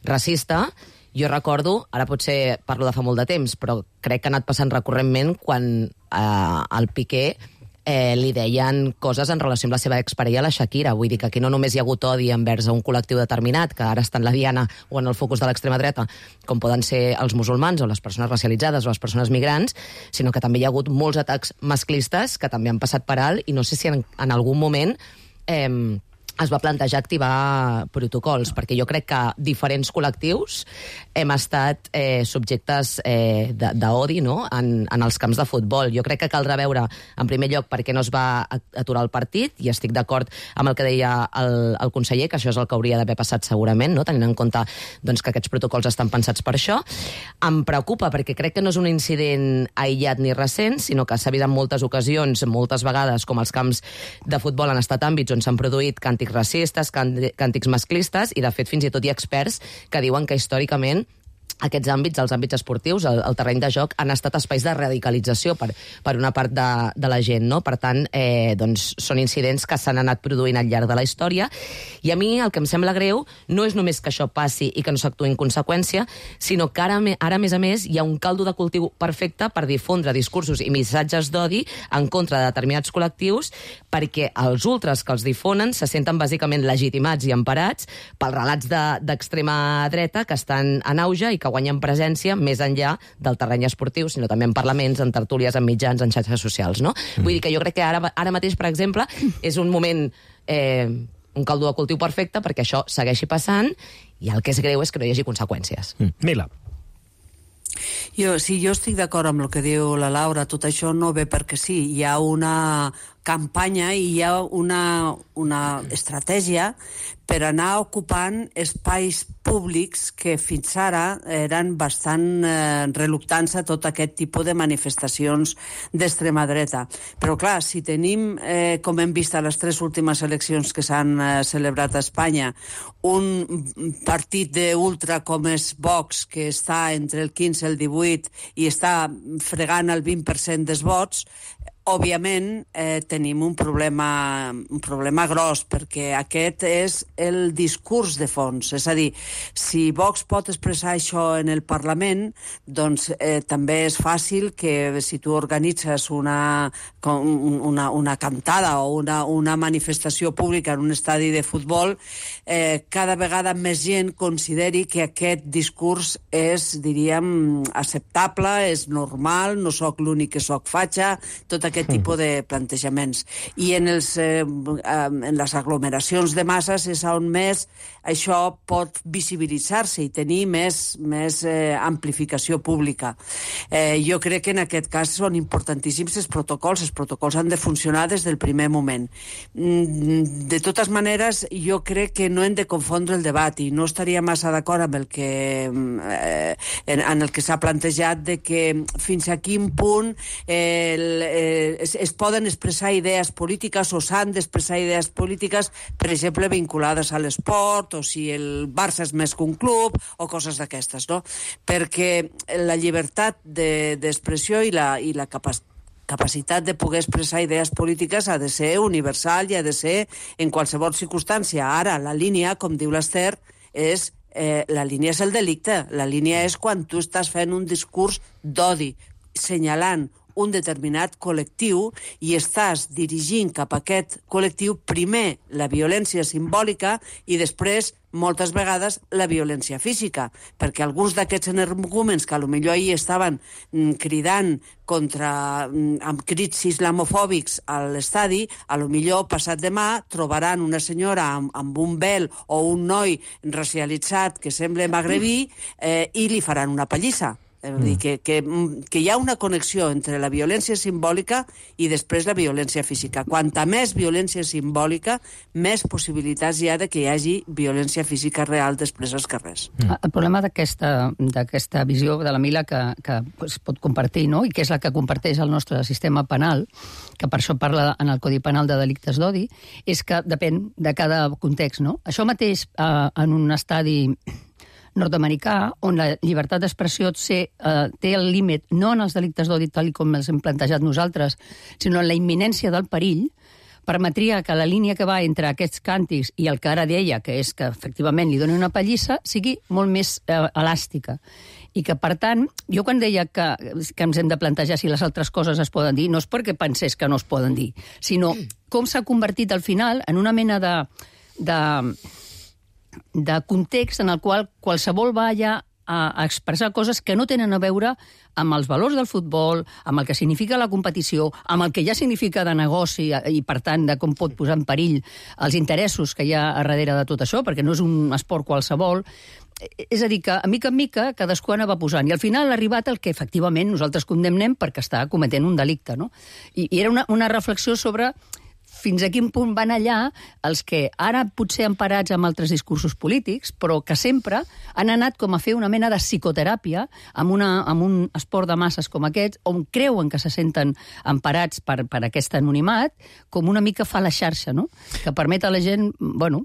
racista. Jo recordo, ara potser parlo de fa molt de temps, però crec que ha anat passant recurrentment quan al Piqué li deien coses en relació amb la seva exparella, la Shakira. Vull dir que aquí no només hi ha hagut odi envers un col·lectiu determinat, que ara està en la diana o en el focus de l'extrema dreta, com poden ser els musulmans o les persones racialitzades o les persones migrants, sinó que també hi ha hagut molts atacs masclistes que també han passat per alt, i no sé si en algun moment es va plantejar activar protocols, perquè jo crec que diferents col·lectius hem estat subjectes d'odi, no?, en els camps de futbol. Jo crec que caldrà veure, en primer lloc, per què no es va aturar el partit, i estic d'acord amb el que deia el conseller, que això és el que hauria d'haver passat segurament, no?, tenint en compte doncs, que aquests protocols estan pensats per això. Em preocupa, perquè crec que no és un incident aïllat ni recent, sinó que s'ha vist en moltes ocasions, moltes vegades, com els camps de futbol han estat àmbits on s'han produït càntics racistes, càntics masclistes, i de fet fins i tot hi ha experts que diuen que històricament aquests àmbits, els àmbits esportius, el terreny de joc, han estat espais de radicalització per una part de la gent, no? Per tant, doncs, són incidents que s'han anat produint al llarg de la història, i a mi el que em sembla greu no és només que això passi i que no s'actuï en conseqüència, sinó que ara, a més a més, hi ha un caldo de cultiu perfecte per difondre discursos i missatges d'odi en contra de determinats col·lectius, perquè els ultres que els difonen se senten bàsicament legitimats i emparats pels relats d'extrema dreta que estan en auge i que guanyen presència més enllà del terreny esportiu, sinó també en parlaments, en tertúlies, en mitjans, en xarxes socials, no? Vull dir que jo crec que ara mateix, per exemple, és un moment, un caldo de cultiu perfecte perquè això segueixi passant, i el que és greu és que no hi hagi conseqüències. Mila. Jo estic d'acord amb el que diu la Laura. Tot això no ve perquè sí. Hi ha una campanya i hi ha una estratègia per anar ocupant espais públics que fins ara eren bastant reluctants a tot aquest tipus de manifestacions d'extrema dreta. Però clar, si tenim, com hem vist a les 3 últimes eleccions que s'han celebrat a Espanya, un partit d'ultra com és Vox, que està entre el 15 i el 18 i està fregant el 20% dels vots, òbviament tenim un problema gros, perquè aquest és el discurs de fons. És a dir, si Vox pot expressar això en el Parlament, doncs també és fàcil que si tu organitzes una cantada o una manifestació pública en un estadi de futbol, cada vegada més gent consideri que aquest discurs és, diríem, acceptable, és normal, no sóc l'únic que sóc fatxa, tot aquest tipus de plantejaments. I en les aglomeracions de masses és on més això pot visibilitzar-se i tenir més amplificació pública. Jo crec que en aquest cas són importantíssims els protocols han de funcionar des del primer moment. De totes maneres, jo crec que no hem de confondre el debat, i no estaria massa d'acord amb en el que s'ha plantejat de que fins a quin punt es poden expressar idees polítiques o s'han d'expressar idees polítiques, per exemple, vinculades a l'esport, o si el Barça és més que un club, o coses d'aquestes, no? Perquè la llibertat d'expressió i la capacitat de poder expressar idees polítiques ha de ser universal i ha de ser en qualsevol circumstància. Ara, la línia, com diu l'Ester, la línia és el delicte. La línia és quan tu estàs fent un discurs d'odi, senyalant un determinat col·lectiu i estàs dirigint cap a aquest col·lectiu primer la violència simbòlica i després, moltes vegades, la violència física, perquè alguns d'aquests energúmens que potser ahir estaven cridant amb crits islamofòbics a l'estadi, potser passat demà trobaran una senyora amb un vel o un noi racialitzat que sembla magrebí i li faran una pallissa. Dir que hi ha una connexió entre la violència simbòlica i després la violència física. Quanta més violència simbòlica, més possibilitats hi ha de que hi hagi violència física real després als carrers. El problema d'aquesta visió de la Mila que es pot compartir, no?, i que és la que comparteix el nostre sistema penal, que per això parla en el Codi Penal de delictes d'odi, és que depèn de cada context, no? Això mateix en un estadi nord-americà, on la llibertat d'expressió té el límit no en els delictes d'odi tal com els hem plantejat nosaltres, sinó en la imminència del perill, permetria que la línia que va entre aquests càntics i el que ara deia, que és que efectivament li doni una pallissa, sigui molt més elàstica. I que, per tant, jo quan deia que ens hem de plantejar si les altres coses es poden dir, no és perquè pensés que no es poden dir, sinó com s'ha convertit al final en una mena de context en el qual qualsevol va allà a expressar coses que no tenen a veure amb els valors del futbol, amb el que significa la competició, amb el que ja significa de negoci i, per tant, de com pot posar en perill els interessos que hi ha a darrere de tot això, perquè no és un esport qualsevol. És a dir, que a mica cadascú anava posant. I al final ha arribat el que efectivament nosaltres condemnem perquè està cometent un delicte, no? I era una reflexió sobre fins a quin punt van allà els que ara potser emparats amb altres discursos polítics, però que sempre han anat com a fer una mena de psicoteràpia amb un esport de masses com aquest, on creuen que se senten emparats per aquest anonimat, com una mica fa la xarxa, no? Que permet a la gent,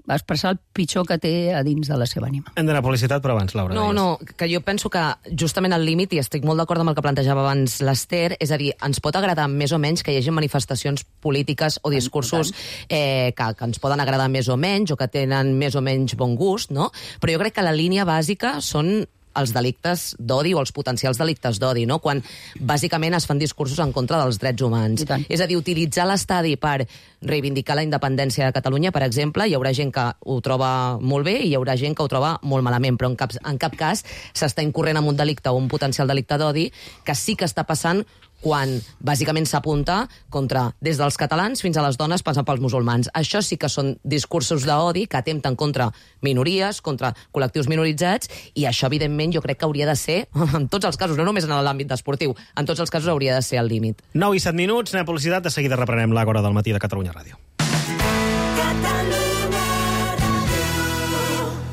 expressar el pitjor que té a dins de la seva ànima. Hem d'anar a publicitat, però abans, Laura. No, que jo penso que justament al límit, i estic molt d'acord amb el que plantejava abans l'Ester, és a dir, ens pot agradar més o menys que hi hagi manifestacions polítiques o discursos que ens poden agradar més o menys o que tenen més o menys bon gust, no? Però jo crec que la línia bàsica són els delictes d'odi o els potencials delictes d'odi, no? Quan bàsicament es fan discursos en contra dels drets humans. És a dir, utilitzar l'estadi per reivindicar la independència de Catalunya, per exemple, hi haurà gent que ho troba molt bé i hi haurà gent que ho troba molt malament, però en cap cas s'està incorrent en un delicte o un potencial delicte d'odi que sí que està passant quan bàsicament s'apunta contra des dels catalans fins a les dones passant pels musulmans. Això sí que són discursos d'odi que atempten contra minories, contra col·lectius minoritzats, i això, evidentment, jo crec que hauria de ser, en tots els casos, no només en l'àmbit esportiu, en tots els casos hauria de ser el límit. 9 i 7 minuts, anem a publicitat, de seguida reprenem l'Àgora del matí de Catalunya Ràdio.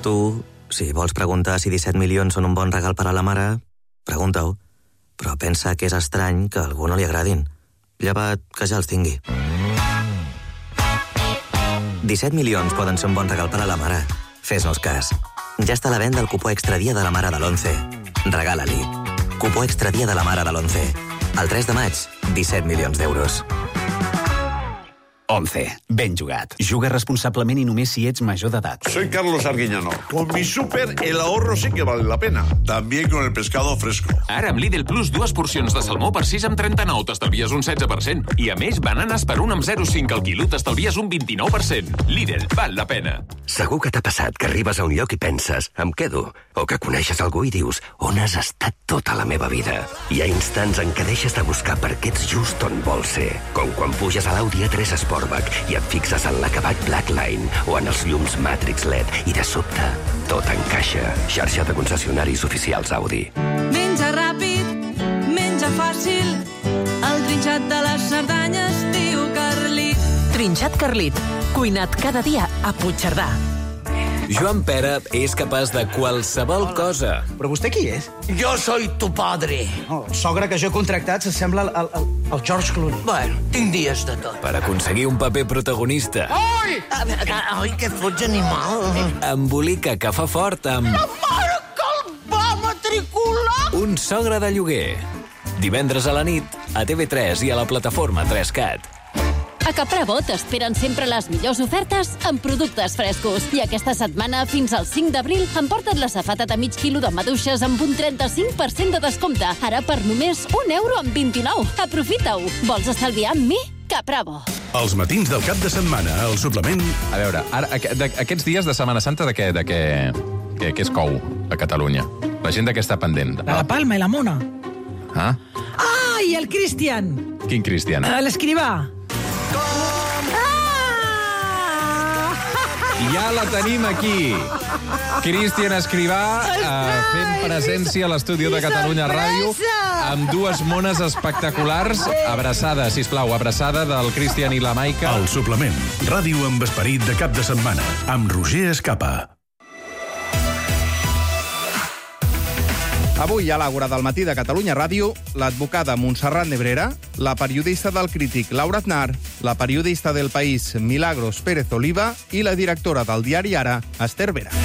Tu, si vols preguntar si 17 milions són un bon regal per a la mare, pregunta-ho. Però pensa que és estrany que a algú no li agradin. Llevat que ja els tingui. 17 milions poden ser un bon regal per a la mare. Fes-nos cas. Ja està a la venda el cupó extra dia de la mare de l'11. Regala-li. Cupó extra dia de la mare de l'11. El 3 de maig, 17 milions d'euros. 11. Ben jugat. Juga responsablement i només si ets major d'edat. Soy Carlos Arguiñano. Con mi súper, el ahorro sí que vale la pena. También con el pescado fresco. Ara amb Lidl Plus, 2 porcions de salmó per 6,39 t'estalvies un 16%. I a més, bananes per 1,05 al quilo t'estalvies un 29%. Lidl, val la pena. Segur que t'ha passat que arribes a un lloc i penses, em quedo. O que coneixes algú i dius, on has estat tota la meva vida? Hi ha instants en què deixes de buscar perquè ets just on vols ser. Com quan puges a l'Audi A3 Sportback i et fixes en l'acabat Blackline o en els llums Matrix LED i de sobte tot encaixa. Xarxa de concessionaris oficials Audi. Menja ràpid, menja fàcil, el trinxat de les Cerdanyes diu Carlit. Trinxat Carlit, cuinat cada dia a Puigcerdà. Joan Pera és capaç de qualsevol cosa. Però vostè qui és? Jo soy tu padre. El sogre que jo he contractat s'assembla al George Clooney. Bueno, tinc dies de tot. Per aconseguir un paper protagonista. Ai! Ai, que fots animal. Embolica que fa fort amb... La mare que el va matricular! Un sogre de lloguer. Divendres a la nit, a TV3 i a la plataforma 3Cat. A Caprabo t'esperen sempre les millors ofertes amb productes frescos. I aquesta setmana, fins al 5 d'abril, emporta't la safata de mig quilo de maduixes amb un 35% de descompte. Ara per només €1,29. Aprofita-ho. Vols estalviar amb mi? Caprabo. Els matins del cap de setmana, el suplement... A veure, ara, aquests dies de Setmana Santa, de què es cou a Catalunya? La gent de què està pendent? La Palma i la Mona. Ah? Ah, i el Cristian. Quin Cristian? L'escrivà. Ja la tenim aquí. Cristian Escrivà fent presència a l'estudi de Catalunya Ràdio amb dues mones espectaculars. Abraçada, sisplau, abraçada del Cristian i la Maica. El suplement. Ràdio amb esperit de cap de setmana. Amb Roger Escapa. Avui a l'Àgora del matí de Catalunya Ràdio, l'advocada Montserrat Nebrera, la periodista del Crític Laura Aznar, la periodista del País Milagros Pérez Oliva i la directora del diari Ara, Ester Vera.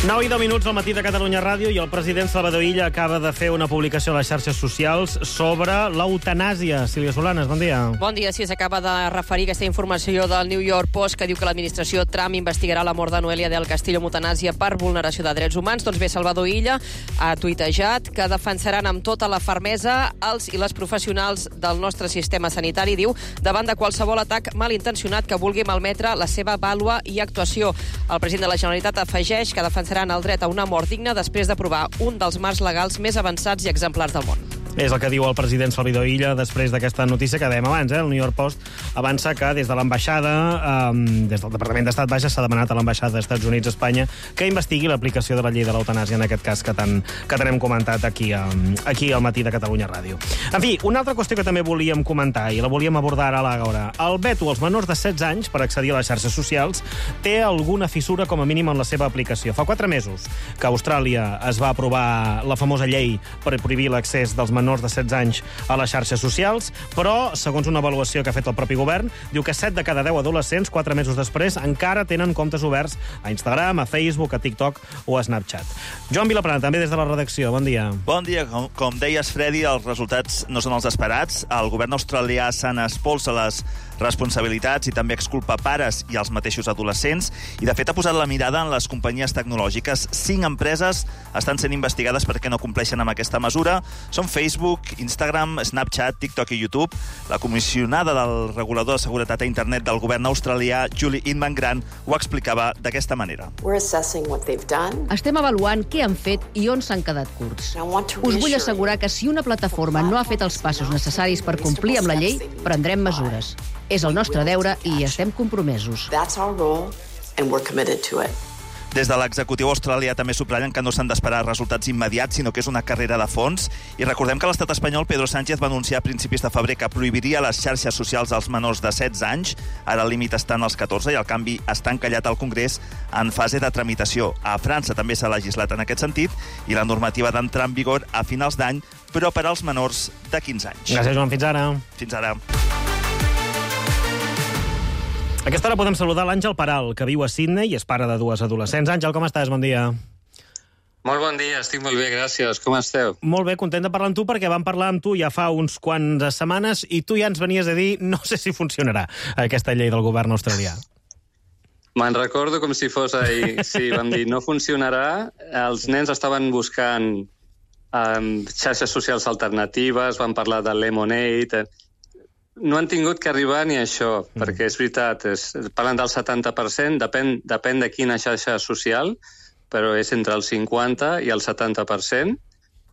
9:10 al matí de Catalunya Ràdio i el president Salvador Illa acaba de fer una publicació a les xarxes socials sobre l'eutanàsia. Sílvia Solanes, bon dia. Bon dia. Sí, s'acaba de referir aquesta informació del New York Post que diu que l'administració Trump investigarà la mort de Noelia del Castillo amb eutanàsia per vulneració de drets humans. Doncs bé, Salvador Illa ha tuitejat que defensaran amb tota la fermesa els i les professionals del nostre sistema sanitari, diu, davant de qualsevol atac malintencionat que vulgui malmetre la seva vàlua i actuació. El president de la Generalitat afegeix que defensaran el dret a una mort digna després d'aprovar un dels marcs legals més avançats i exemplars del món. És el que diu el president Salvador Illa després d'aquesta notícia que dèiem abans. El New York Post avança que des de l'ambaixada, des del Departament d'Estat, s'ha demanat a l'ambaixada dels Estats Units a Espanya que investigui l'aplicació de la llei de l'eutanàsia, en aquest cas que tant hem comentat aquí al matí de Catalunya Ràdio. En fi, una altra qüestió que també volíem comentar i la volíem abordar ara a l'Àgora. El veto als menors de 16 anys per accedir a les xarxes socials té alguna fissura com a mínim en la seva aplicació. Fa 4 mesos que a Austràlia es va aprovar la famosa llei per prohibir l'accés dels menors de 16 anys a les xarxes socials, però, segons una avaluació que ha fet el propi govern, diu que 7 de cada 10 adolescents, 4 mesos després, encara tenen comptes oberts a Instagram, a Facebook, a TikTok o a Snapchat. Joan Vilaplana, també des de la redacció. Bon dia. Bon dia. Com deies, Freddy, els resultats no són els esperats. El govern australià se n'espolsa les responsabilitats i també exculpa pares i els mateixos adolescents i, de fet, ha posat la mirada en les companyies tecnològiques. 5 empreses estan sent investigades perquè no compleixen amb aquesta mesura. Són Facebook, Instagram, Snapchat, TikTok i YouTube. La comissionada del regulador de seguretat a internet del govern australià, Julie Inman-Grant, ho explicava d'aquesta manera. Estem avaluant què han fet i on s'han quedat curts. Us vull assegurar que si una plataforma no ha fet els passos necessaris per complir amb la llei, prendrem mesures. És el nostre deure i estem compromesos. Des de l'executiu australià també subratllen que no s'han d'esperar resultats immediats, sinó que és una carrera de fons. I recordem que l'estat espanyol, Pedro Sánchez, va anunciar a principis de febrer que prohibiria les xarxes socials als menors de 16 anys. Ara el límit està en els 14 i el canvi està encallat al Congrés en fase de tramitació. A França també s'ha legislat en aquest sentit i la normativa d'entrar en vigor a finals d'any, però per als menors de 15 anys. Gràcies, Joan. Fins ara. Fins ara. A aquesta hora podem saludar l'Àngel Peral, que viu a Sydney i és pare de 2 adolescents. Àngel, com estàs? Bon dia. Molt bon dia, estic molt bé, gràcies. Com esteu? Molt bé, content de parlar amb tu, perquè vam parlar amb tu ja fa uns quants setmanes i tu ja ens venies a dir no sé si funcionarà aquesta llei del govern australià. Me'n recordo com si fos ahir. Sí, vam dir no funcionarà. Els nens estaven buscant xarxes socials alternatives, van parlar de Lemonade. No han tingut que arribar ni a això, perquè és veritat, parlen del 70%, depèn de quina xarxa social, però és entre el 50 i el 70%.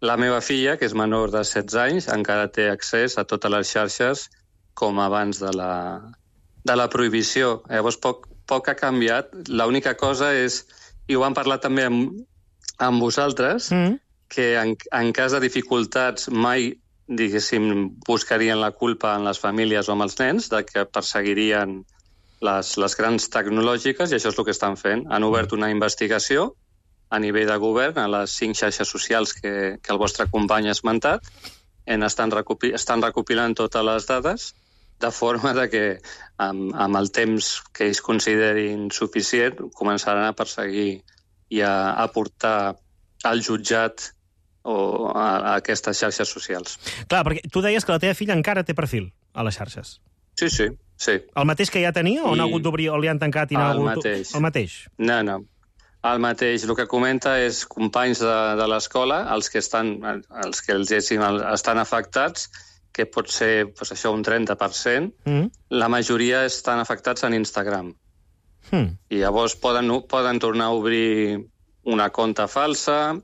La meva filla, que és menor de 16 anys, encara té accés a totes les xarxes com abans de la prohibició. Llavors, poc ha canviat. L'única cosa és, i ho vam parlar també amb vosaltres, que en cas de dificultats mai diguéssim, buscarien la culpa en les famílies o amb els nens, de que perseguirien les grans tecnològiques, i això és el que estan fent. Han obert una investigació a nivell de govern a les 5 xarxes socials que el vostre company ha esmentat. Estan recopilant totes les dades, de forma que amb el temps que ells considerin suficient començaran a perseguir i a portar al jutjat o a aquestes xarxes socials. Clar, perquè tu deies que la teva filla encara té perfil a les xarxes. Sí. El mateix que ja tenia o n'ha hagut d'obrir o li han tancat i n'ha hagut... El mateix. No. El mateix. El que comenta és companys de l'escola, els que estan afectats, que pot ser això un 30%, la majoria estan afectats en Instagram. I llavors poden tornar a obrir una compte falsa.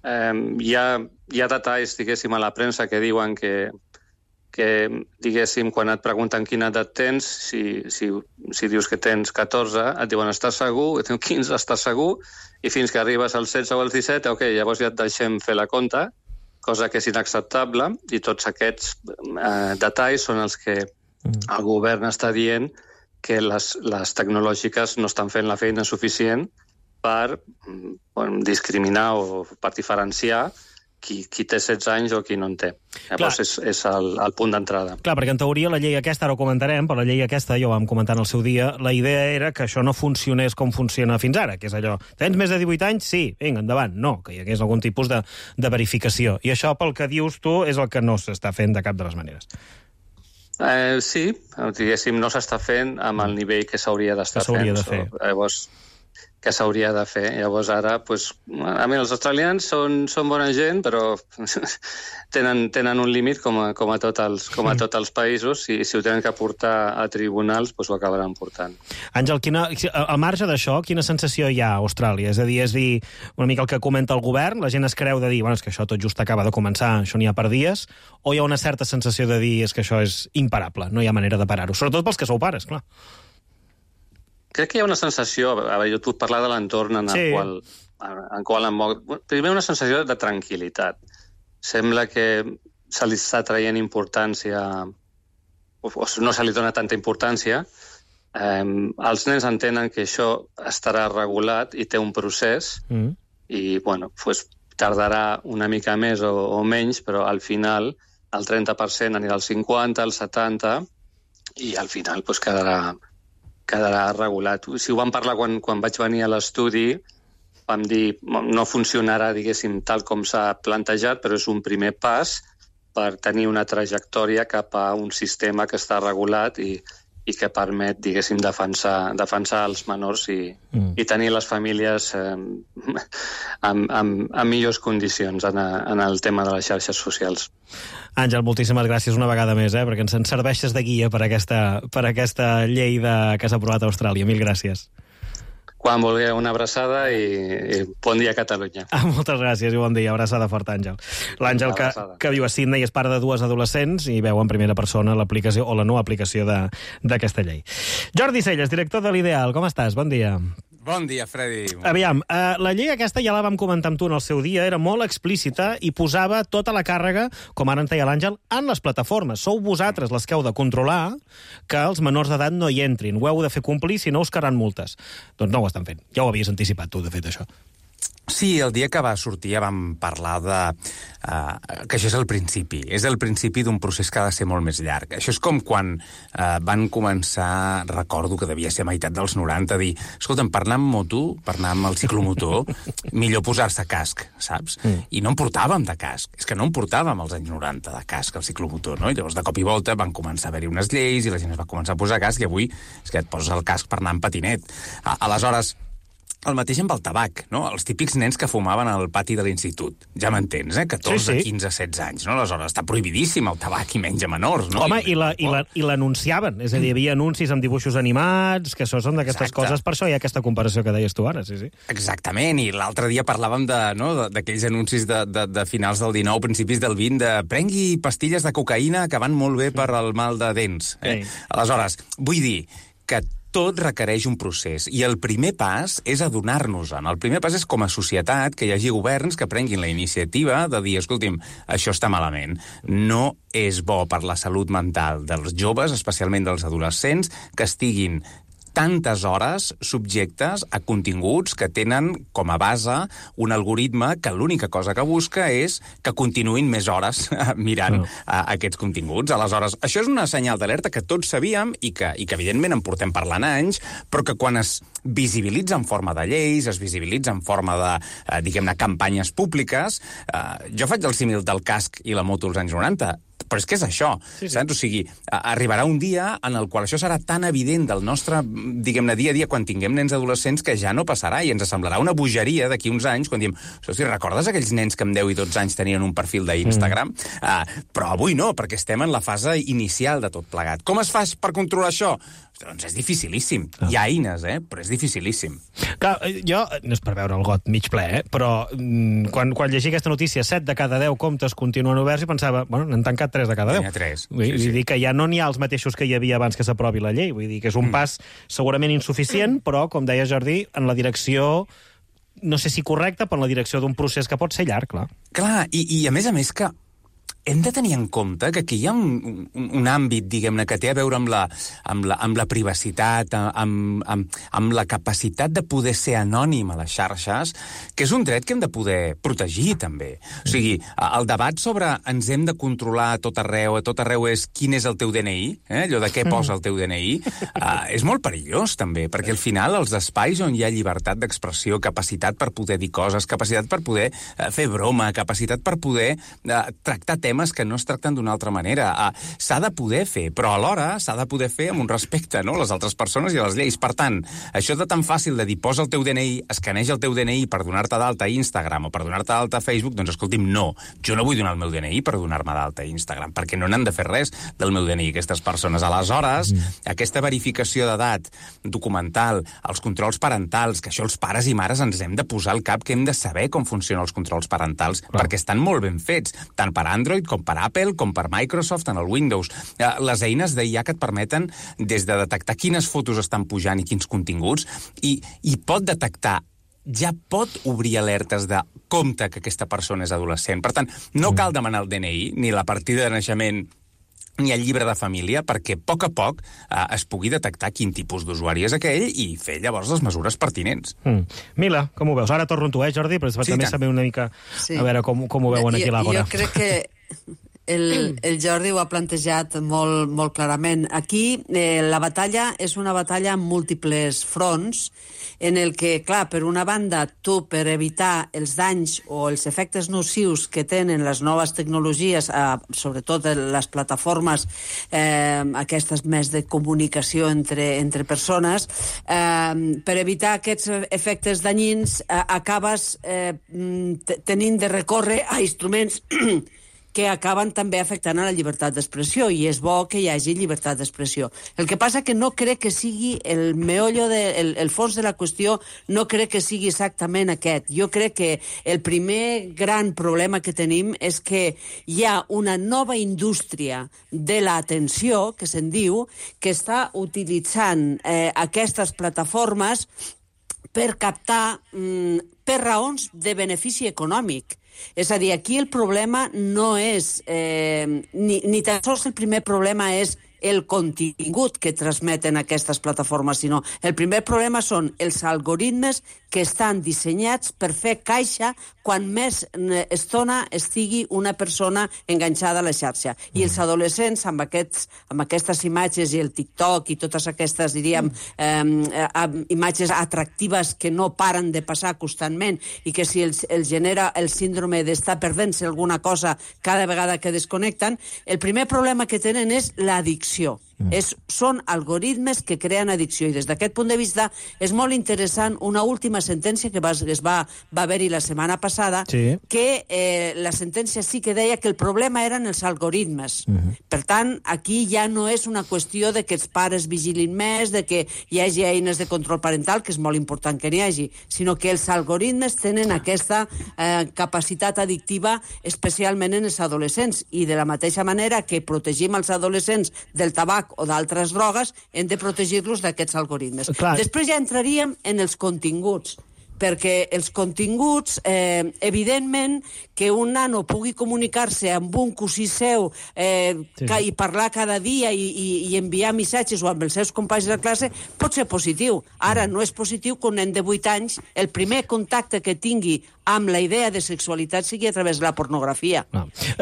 Hi ha detalls, diguéssim, a la premsa que diuen que diguéssim, quan et pregunten quina edat tens, si dius que tens 14, et diuen estàs segur, et diuen 15, estàs segur, i fins que arribes als 16 o als 17, llavors ja et deixem fer la compta, cosa que és inacceptable, i tots aquests detalls són els que el govern està dient que les tecnològiques no estan fent la feina suficient per discriminar o per diferenciar qui té 16 anys o qui no en té. Llavors és el punt d'entrada. Clar, perquè en teoria la llei aquesta, ara ho comentarem, però la llei aquesta, ja ho vam comentar en el seu dia, la idea era que això no funcionés com funciona fins ara, que és allò, tens més de 18 anys? Sí, vinga, endavant. No, que hi hagués algun tipus de verificació. I això, pel que dius tu, és el que no s'està fent de cap de les maneres. Sí, diguéssim, no s'està fent amb el nivell que s'hauria d'estar fent. Llavors, que s'hauria de fer. Llavors ara, a mi els australians són bona gent, però tenen un límit com a tots els països, i si ho tenen que portar a tribunals, ho acabaran portant. Àngel, al marge d'això, quina sensació hi ha a Austràlia? És a dir, una mica el que comenta el govern, la gent es creu de dir, és que això tot just acaba de començar, això n'hi ha per dies, o hi ha una certa sensació de dir és que això és imparable, no hi ha manera de parar-ho, sobretot pels que sou pares, clar. Crec que hi ha una sensació, jo et puc parlar de l'entorn en el qual em moc. Primer, una sensació de tranquil·litat. Sembla que se li està traient importància, o no se li dona tanta importància. Els nens entenen que això estarà regulat i té un procés, i tardarà una mica més o menys, però al final el 30% anirà al 50%, al 70%, i al final quedarà regulat. Si ho vam parlar quan vaig venir a l'estudi, vam dir no funcionarà, diguéssim, tal com s'ha plantejat, però és un primer pas per tenir una trajectòria cap a un sistema que està regulat i que permet, diguéssim, defensar els menors i tenir les famílies en millors condicions en el tema de les xarxes socials. Àngel, moltíssimes gràcies una vegada més, perquè ens serveixes de guia per aquesta llei que s'ha aprovat a Austràlia. Mil gràcies. Quan vulgueu, una abraçada i bon dia a Catalunya. Moltes gràcies i bon dia. Abraçada forta, Àngel. L'Àngel, que viu a Sydney, és pare de 2 adolescents i veu en primera persona l'aplicació o la no aplicació d'aquesta llei. Jordi Celles, director de l'Ideal, com estàs? Bon dia. Bon dia, Freddy. Aviam, la llei aquesta ja la vam comentar amb tu en el seu dia, era molt explícita i posava tota la càrrega, com ara en deia l'Àngel, en les plataformes. Sou vosaltres les que heu de controlar que els menors d'edat no hi entrin. Ho heu de fer complir, si no us quedaran multes. Doncs no ho estan fent. Ja ho havies anticipat tu, de fet, això. Sí, el dia que va sortir ja vam parlar que això és el principi. És el principi d'un procés que ha de ser molt més llarg. Això és com quan van començar, recordo que devia ser a meitat dels 90, a dir, escolta'm, per anar amb moto, per anar amb el ciclomotor, millor posar-se casc, saps? I no en portàvem de casc. És que no en portàvem als anys 90 de casc, al ciclomotor, no? I llavors, de cop i volta, van començar a haver-hi unes lleis i la gent es va començar a posar casc i avui és que et poses el casc per anar en patinet. Aleshores, el mateix amb el tabac, no? Els típics nens que fumaven al pati de l'institut. Ja m'entens, 14, 15, 16 anys, no? Aleshores, està prohibidíssim el tabac i menys a menors, no? Home, i l'anunciaven. És a dir, hi havia anuncis amb dibuixos animats, que això són d'aquestes coses, per això hi ha aquesta comparació que deies tu ara, sí. Exactament, i l'altre dia parlàvem d'aquells anuncis de finals del 19, principis del 20, de prengui pastilles de cocaïna que van molt bé per al mal de dents. Aleshores, vull dir que tot requereix un procés, i el primer pas és adonar-nos-en. El primer pas és, com a societat, que hi hagi governs que prenguin la iniciativa de dir, escolti'm, això està malament. No és bo per la salut mental dels joves, especialment dels adolescents, que estiguin tantes hores subjectes a continguts que tenen com a base un algoritme que l'única cosa que busca és que continuïn més hores mirant aquests continguts. Aleshores, això és una senyal d'alerta que tots sabíem i que evidentment en portem parlant anys, però que quan es visibilitza en forma de lleis, es visibilitza en forma de, diguem-ne, campanyes públiques, jo faig el símil del casc i la moto als anys 90, però és que és això, saps? O sigui, arribarà un dia en el qual això serà tan evident del nostre, diguem-ne, dia a dia quan tinguem nens adolescents que ja no passarà i ens semblarà una bogeria d'aquí uns anys quan diem, hosti, recordes aquells nens que amb 10 i 12 anys tenien un perfil d'Instagram? Però avui no, perquè estem en la fase inicial de tot plegat. Com es fa per controlar això? Doncs és dificilíssim. Hi ha eines, però és dificilíssim. Clar, jo, no és per veure el got mig ple, però quan llegia aquesta notícia, 7 de cada 10 comptes continuen oberts i pensava, bueno, n'han tancat 3 de cada 10. N'hi ha 3. Vull dir que ja no n'hi ha els mateixos que hi havia abans que s'aprovi la llei. Vull dir que és un pas segurament insuficient, però, com deia Jordi, en la direcció, no sé si correcta, però en la direcció d'un procés que pot ser llarg, clar. Clar, i a més que hem de tenir en compte que aquí hi ha un àmbit, diguem-ne, que té a veure amb la privacitat, amb la capacitat de poder ser anònim a les xarxes, que és un dret que hem de poder protegir, també. O sigui, el debat sobre ens hem de controlar a tot arreu és quin és el teu DNI, allò de què posa el teu DNI, és molt perillós, també, perquè al final els espais on hi ha llibertat d'expressió, capacitat per poder dir coses, capacitat per poder fer broma, capacitat per poder tractar temes que no es tracten d'una altra manera. S'ha de poder fer, però alhora s'ha de poder fer amb un respecte, no?, a les altres persones i a les lleis. Per tant, això de tan fàcil de dir posa el teu DNI, escaneja el teu DNI per donar-te d'alta a Instagram o per donar-te d'alta a Facebook, doncs escolti'm, no. Jo no vull donar el meu DNI per donar-me d'alta a Instagram, perquè no n'han de fer res del meu DNI, aquestes persones. Aleshores, aquesta verificació d'edat documental, els controls parentals, que això els pares i mares ens hem de posar al cap, que hem de saber com funcionen els controls parentals, perquè estan molt ben fets, tant per Android com per Apple, com per Microsoft en el Windows. Les eines d'IA que et permeten des de detectar quines fotos estan pujant i quins continguts, i pot detectar, ja pot obrir alertes de compte que aquesta persona és adolescent. Per tant, no cal demanar el DNI, ni la partida de naixement, ni el llibre de família, perquè a poc es pugui detectar quin tipus d'usuari és aquell i fer llavors les mesures pertinents. Mila, com ho veus? Ara torno amb tu, Jordi, però també saber una mica a veure com ho veuen aquí a l'Àgora. Jo crec que el Jordi ho ha plantejat molt clarament. Aquí la batalla és una batalla amb múltiples fronts, en el que, clar, per una banda, tu, per evitar els danys o els efectes nocius que tenen les noves tecnologies, sobretot les plataformes aquestes més de comunicació entre persones, per evitar aquests efectes danyins acabes tenint de recórrer a instruments que acaben també afectant a la llibertat d'expressió, i és bo que hi hagi llibertat d'expressió. El que passa que no crec que sigui el meollo, el fons de la qüestió, no crec que sigui exactament aquest. Jo crec que el primer gran problema que tenim és que hi ha una nova indústria de l'atenció, que se'n diu, que està utilitzant aquestes plataformes per captar per raons de benefici econòmic. És a dir, aquí el problema no és... ni tan sols el primer problema és el contingut que transmeten aquestes plataformes, sinó el primer problema són els algoritmes que estan dissenyats per fer caixa quan més estona estigui una persona enganxada a la xarxa. I els adolescents, amb aquestes imatges i el TikTok i totes aquestes, diríem, imatges atractives que no paren de passar constantment i que si els genera el síndrome d'estar perdent-se alguna cosa cada vegada que desconnecten, el primer problema que tenen és l'addicció. Són algoritmes que creen addicció, i des d'aquest punt de vista és molt interessant una última sentència que va haver-hi la setmana passada, que la sentència sí que deia que el problema eren els algoritmes. Per tant, aquí ja no és una qüestió de que els pares vigilin més, de que hi hagi eines de control parental, que és molt important que n'hi hagi, sinó que els algoritmes tenen aquesta capacitat addictiva, especialment en els adolescents, i de la mateixa manera que protegim els adolescents del tabac o d'altres drogues, hem de protegir-los d'aquests algoritmes. Després ja entraríem en els continguts, perquè els continguts, evidentment, que un nano pugui comunicar-se amb un cosí seu i parlar cada dia i enviar missatges o amb els seus companys de classe, pot ser positiu. Ara no és positiu que un nen de 8 anys el primer contacte que tingui amb la idea de sexualitat sigui a través de la pornografia.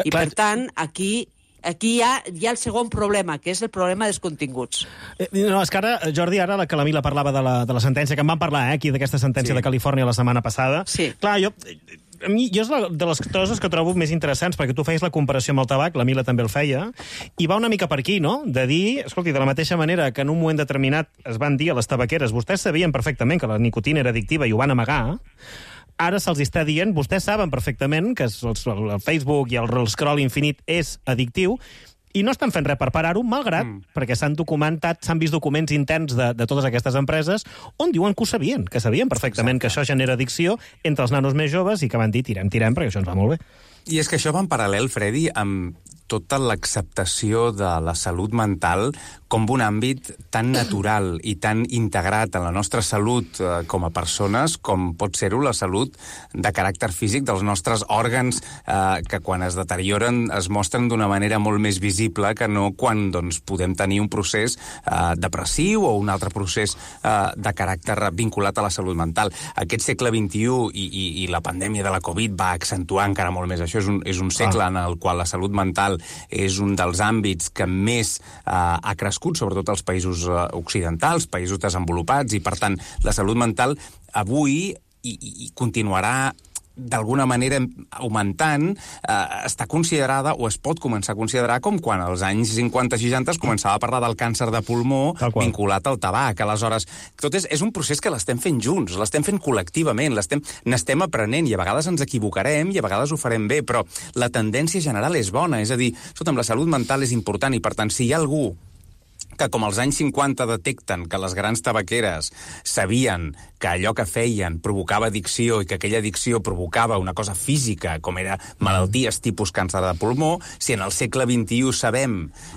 I, per tant, aquí hi ha el segon problema, que és el problema dels continguts. No, és que ara, Jordi, ara la Mila parlava de la sentència, que en vam parlar aquí, d'aquesta sentència de Califòrnia la setmana passada. Clar, jo és de les coses que trobo més interessants, perquè tu feies la comparació amb el tabac, la Mila també el feia, i va una mica per aquí, no? De dir, escolti, de la mateixa manera que en un moment determinat es van dir a les tabaqueres, vostès sabien perfectament que la nicotina era addictiva i ho van amagar, ara se'ls està dient, vostès saben perfectament que el Facebook i el scroll infinit és addictiu, i no estan fent res per parar-ho, malgrat, perquè s'han vist documents interns de totes aquestes empreses on diuen que ho sabien, que sabien perfectament que això genera addicció entre els nanos més joves i que van dir tirem, perquè això ens va molt bé. I és que això va en paral·lel, Freddy, amb tota l'acceptació de la salut mental com un àmbit tan natural i tan integrat en la nostra salut com a persones com pot ser-ho la salut de caràcter físic dels nostres òrgans que quan es deterioren es mostren d'una manera molt més visible que no quan doncs, podem tenir un procés depressiu o un altre procés de caràcter vinculat a la salut mental. Aquest segle XXI i la pandèmia de la Covid va accentuar encara molt més això. És un segle en el qual la salut mental és un dels àmbits que més ha crescut, sobretot als països occidentals, països desenvolupats, i per tant la salut mental avui i continuarà d'alguna manera augmentant, està considerada o es pot començar a considerar com quan als anys 50-60 es començava a parlar del càncer de pulmó vinculat al tabac. Aleshores, tot és un procés que l'estem fent junts, l'estem fent col·lectivament, n'estem aprenent i a vegades ens equivocarem i a vegades ho farem bé, però la tendència general és bona, és a dir, escolta'm, la salut mental és important i per tant, si hi ha algú que com als anys 50 detecten que les grans tabaqueres sabien que allò que feien provocava addicció i que aquella addicció provocava una cosa física, com era malalties tipus càncer de pulmó, si en el segle XXI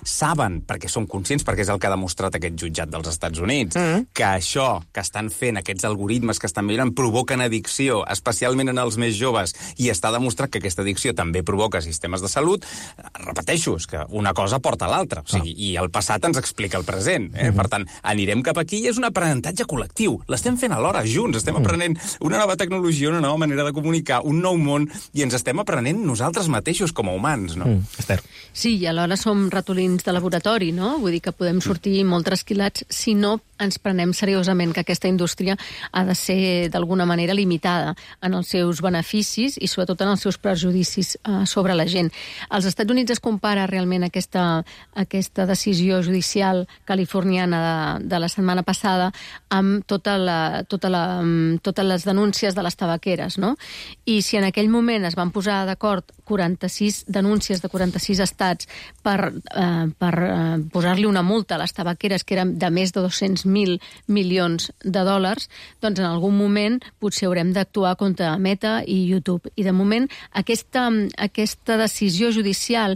saben, perquè són conscients, perquè és el que ha demostrat aquest jutjat dels Estats Units, que això que estan fent, aquests algoritmes que estan mirant, provoquen addicció, especialment en els més joves, i està demostrat que aquesta addicció també provoca sistemes de salut, repeteixo, és que una cosa porta a l'altra. O sigui, i el passat ens explica el present. Per tant, anirem cap aquí i és un aprenentatge col·lectiu. L'estem fent alhora, junts. Estem aprenent una nova tecnologia, una nova manera de comunicar, un nou món, i ens estem aprenent nosaltres mateixos com a humans, no? Esther. Sí, i alhora som ratolins de laboratori, no? Vull dir que podem sortir molt trasquilats si no ens prenem seriosament que aquesta indústria ha de ser d'alguna manera limitada en els seus beneficis i sobretot en els seus prejudicis sobre la gent. Als Estats Units es compara realment aquesta decisió judicial californiana de la setmana passada amb totes les denúncies de les tabaqueres, no? I si en aquell moment es van posar d'acord 46 denúncies de 46 estats per posar-li una multa a les tabaqueres que eren de més de 200.000 milions de dòlars, doncs en algun moment potser haurem d'actuar contra Meta i YouTube. I de moment aquesta decisió judicial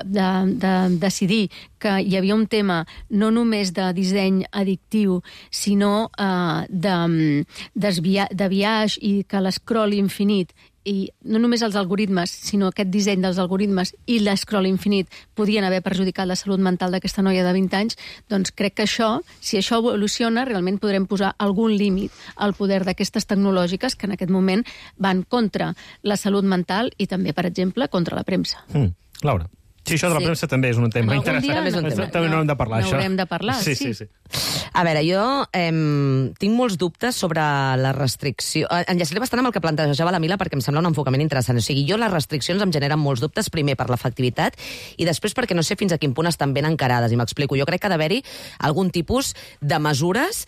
de decidir que hi havia un tema no només de disseny addictiu, sinó de biaix i que l'escroll infinit i no només els algoritmes, sinó aquest disseny dels algoritmes i l'escroll infinit podien haver perjudicat la salut mental d'aquesta noia de 20 anys, doncs crec que si això evoluciona, realment podrem posar algun límit al poder d'aquestes tecnològiques que en aquest moment van contra la salut mental i també, per exemple, contra la premsa. Laura. Sí, això de la premsa també és un tema interessant. També no hem de parlar, això. N'haurem de parlar, sí. A veure, jo tinc molts dubtes sobre la restricció. Enllaçaré bastant amb el que plantejava la Mila perquè em sembla un enfocament interessant. O sigui, les restriccions em generen molts dubtes, primer per l'efectivitat i després perquè no sé fins a quin punt estan ben encarades. I m'explico. Jo crec que ha d'haver-hi algun tipus de mesures,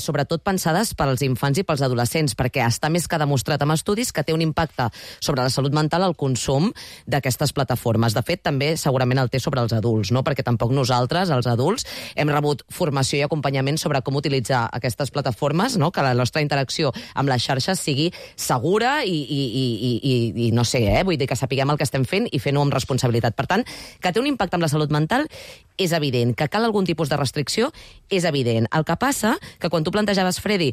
sobretot pensades pels infants i pels adolescents, perquè està més que demostrat amb estudis que té un impacte sobre la salut mental el consum d'aquestes plataformes. De fet, també segurament el té sobre els adults, no? Perquè tampoc nosaltres, els adults, hem rebut formació i acompanyament sobre com utilitzar aquestes plataformes, no? Que la nostra interacció amb les xarxes sigui segura i no sé, vull dir que sapiguem el que estem fent i fent-ho amb responsabilitat. Per tant, que té un impacte amb la salut mental és evident. Que cal algun tipus de restricció és evident. El que passa que quan tu plantejaves, Freddy,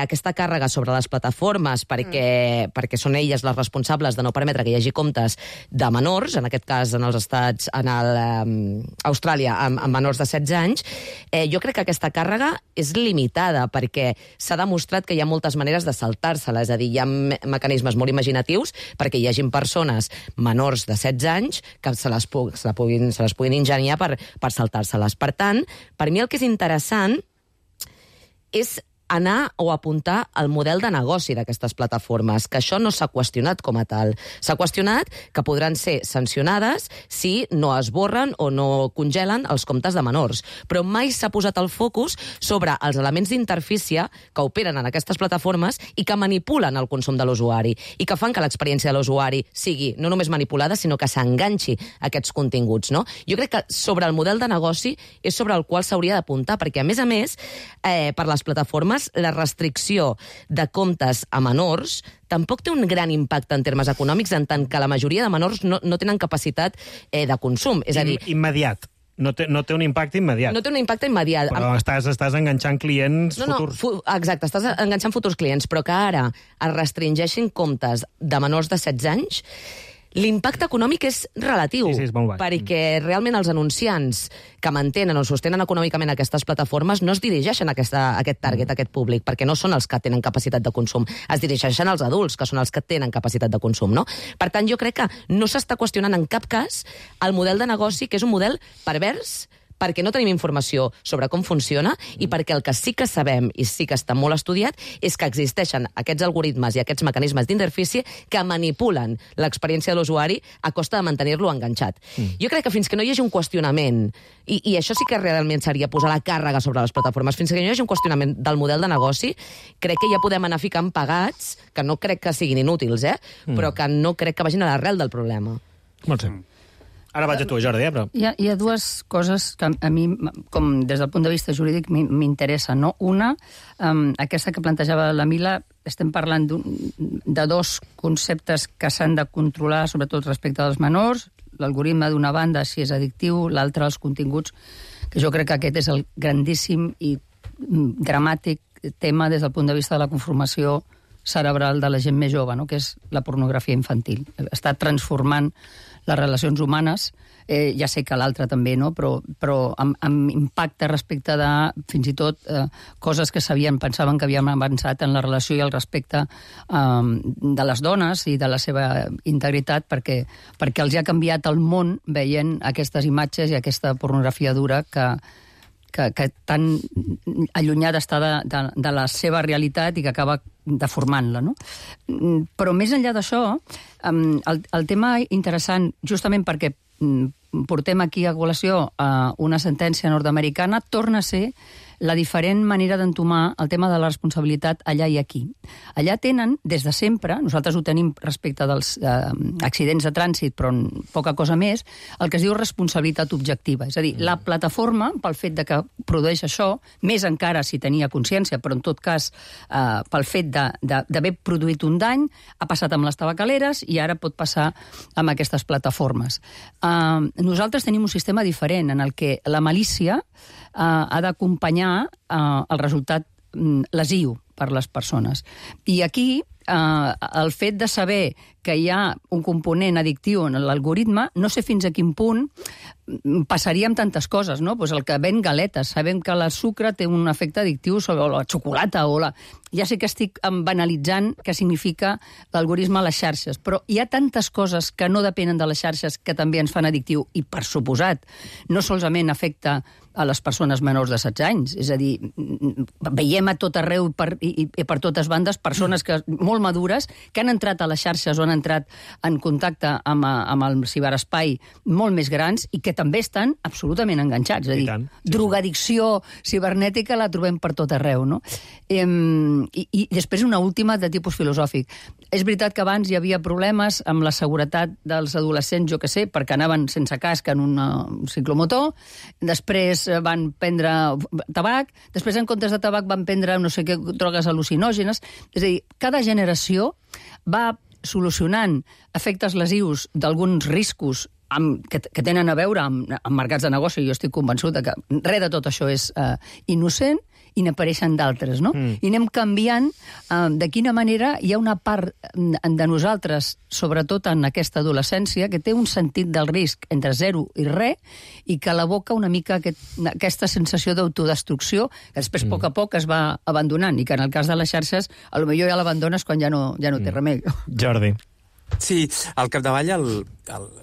aquesta càrrega sobre les plataformes perquè són elles les responsables de no permetre que hi hagi comptes de menors, en aquest cas en els estats, Austràlia, amb menors de 16 anys, jo crec que aquesta càrrega és limitada perquè s'ha demostrat que hi ha moltes maneres de saltar-se-la, és a dir, hi ha mecanismes molt imaginatius perquè hi hagin persones menors de 16 anys que se les puguin ingeniar per saltar-se-les. Per tant, per mi el que és interessant és anar o apuntar al model de negoci d'aquestes plataformes, que això no s'ha qüestionat com a tal. S'ha qüestionat que podran ser sancionades si no esborren o no congelen els comptes de menors. Però mai s'ha posat el focus sobre els elements d'interfície que operen en aquestes plataformes i que manipulen el consum de l'usuari i que fan que l'experiència de l'usuari sigui no només manipulada, sinó que s'enganxi a aquests continguts, no? Jo crec que sobre el model de negoci és sobre el qual s'hauria d'apuntar, perquè, a més, per les plataformes plataformes, la restricció de comptes a menors tampoc té un gran impacte en termes econòmics, en tant que la majoria de menors no tenen capacitat de consum. És a dir... Immediat. No té un impacte immediat. No té un impacte immediat. Però estàs enganxant clients futurs. Exacte, estàs enganxant futurs clients, però que ara es restringeixin comptes de menors de 16 anys, l'impacte econòmic és relatiu, sí, és molt baix. Perquè realment els anunciants que mantenen o sostenen econòmicament aquestes plataformes no es dirigeixen a aquest target, a aquest públic, perquè no són els que tenen capacitat de consum. Es dirigeixen als adults, que són els que tenen capacitat de consum, no? Per tant, jo crec que no s'està qüestionant en cap cas el model de negoci, que és un model pervers, perquè no tenim informació sobre com funciona i perquè el que sí que sabem i sí que està molt estudiat és que existeixen aquests algoritmes i aquests mecanismes d'interfície que manipulen l'experiència de l'usuari a costa de mantenir-lo enganxat. Jo crec que fins que no hi hagi un qüestionament, i això sí que realment seria posar la càrrega sobre les plataformes, fins que no hi hagi un qüestionament del model de negoci, crec que ja podem anar ficant pagats, que no crec que siguin inútils, però que no crec que vagin a l'arrel del problema. Molt bé. Ara vaig a tu, Jordi, però... Hi ha dues coses que a mi, com des del punt de vista jurídic, m'interessen, no? Una, aquesta que plantejava la Mila, estem parlant de dos conceptes que s'han de controlar, sobretot respecte als menors, l'algoritme d'una banda, si és addictiu, l'altre, els continguts, que jo crec que aquest és el grandíssim i dramàtic tema des del punt de vista de la conformació cerebral de la gent més jove, no? Que és la pornografia infantil. Està transformant les relacions humanes, ja sé que l'altre també, no? Però amb impacte respecte de, fins i tot, coses que pensaven que havíem avançat en la relació i el respecte de les dones i de la seva integritat, perquè els ha canviat el món veient aquestes imatges i aquesta pornografia dura que tan allunyada està de la seva realitat i que acaba deformant-la, no? Però més enllà d'això, el tema interessant, justament perquè portem aquí a col·lació una sentència nord-americana, torna a ser la diferent manera d'entomar el tema de la responsabilitat allà i aquí. Allà tenen, des de sempre, nosaltres ho tenim respecte dels accidents de trànsit, però poca cosa més, el que es diu responsabilitat objectiva. És a dir, la plataforma, pel fet de que produeix això, més encara si tenia consciència, però en tot cas pel fet d'haver produït un dany, ha passat amb les tabacaleres i ara pot passar amb aquestes plataformes. Nosaltres tenim un sistema diferent en el que la malícia ha d'acompanyar el resultat lesiu per les persones. I aquí el fet de saber que hi ha un component addictiu en l'algoritme, no sé fins a quin punt passaria amb tantes coses, no? Pues el que ven galetes, sabem que el sucre té un efecte addictiu sobre la xocolata o la... Ja sé que estic banalitzant què significa l'algoritme a les xarxes, però hi ha tantes coses que no depenen de les xarxes que també ens fan addictiu i, per suposat, no solament afecta a les persones menors de 16 anys. És a dir, veiem a tot arreu i per totes bandes persones molt madures que han entrat a les xarxes o han entrat en contacte amb el ciberespai molt més grans i que també estan absolutament enganxats. És a dir, drogadicció cibernètica la trobem per tot arreu, no? I després una última de tipus filosòfic. És veritat que abans hi havia problemes amb la seguretat dels adolescents, jo que sé, perquè anaven sense casc en un ciclomotor, després van prendre tabac, després en comptes de tabac van prendre no sé què drogues al·lucinògenes. És a dir, cada generació va solucionant efectes lesius d'alguns riscos que tenen a veure amb mercats de negoci. Jo estic convençut que res de tot això és innocent i n'apareixen d'altres, no? I anem canviant de quina manera hi ha una part de nosaltres, sobretot en aquesta adolescència, que té un sentit del risc entre 0 i res i que l'aboca una mica aquesta sensació d'autodestrucció que després a poc es va abandonant i que en el cas de les xarxes potser ja l'abandones quan ja no té remei. Jordi. Sí, al capdavall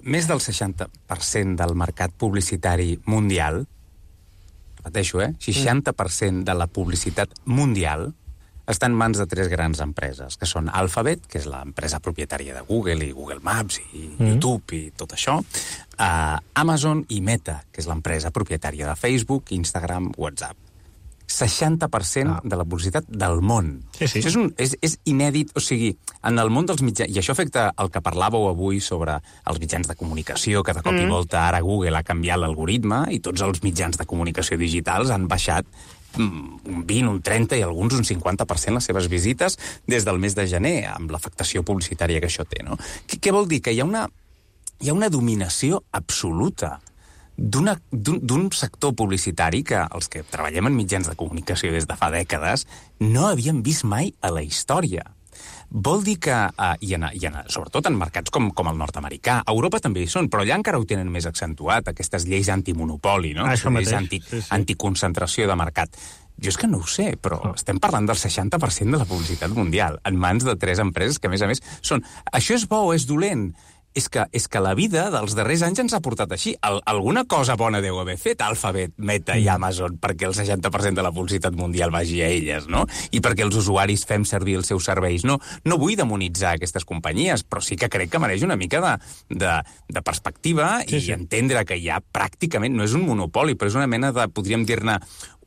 més del 60% del mercat publicitari mundial, repeteixo, 60% de la publicitat mundial està en mans de 3 grans empreses, que són Alphabet, que és l'empresa propietària de Google i Google Maps i YouTube i tot això, Amazon i Meta, que és l'empresa propietària de Facebook, Instagram, WhatsApp. 60% de la publicitat del món. Sí. Això és inèdit, o sigui, en el món dels mitjans, i això afecta el que parlàveu avui sobre els mitjans de comunicació, que de cop i volta ara Google ha canviat l'algoritme i tots els mitjans de comunicació digitals han baixat un 20, un 30 i alguns un 50% les seves visites des del mes de gener, amb l'afectació publicitària que això té, no? Què vol dir? Que hi ha una dominació absoluta d'un sector publicitari que els que treballem en mitjans de comunicació des de fa dècades no havíem vist mai a la història. Vol dir que, sobretot en mercats com el nord-americà, a Europa també hi són, però allà encara ho tenen més accentuat, aquestes lleis antimonopoli, no? Lleis anticoncentració de mercat. Jo és que no ho sé, però estem parlant del 60% de la publicitat mundial, en mans de 3 empreses que, a més, són... Això és bo o és dolent? És que la vida dels darrers anys ens ha portat així. Alguna cosa bona deu haver fet Alphabet, Meta i Amazon perquè el 60% de la publicitat mundial vagi a elles, no? I perquè els usuaris fem servir els seus serveis. No vull demonitzar aquestes companyies, però sí que crec que mereix una mica de perspectiva i entendre que hi ha pràcticament, no és un monopoli, però és una mena de, podríem dir-ne,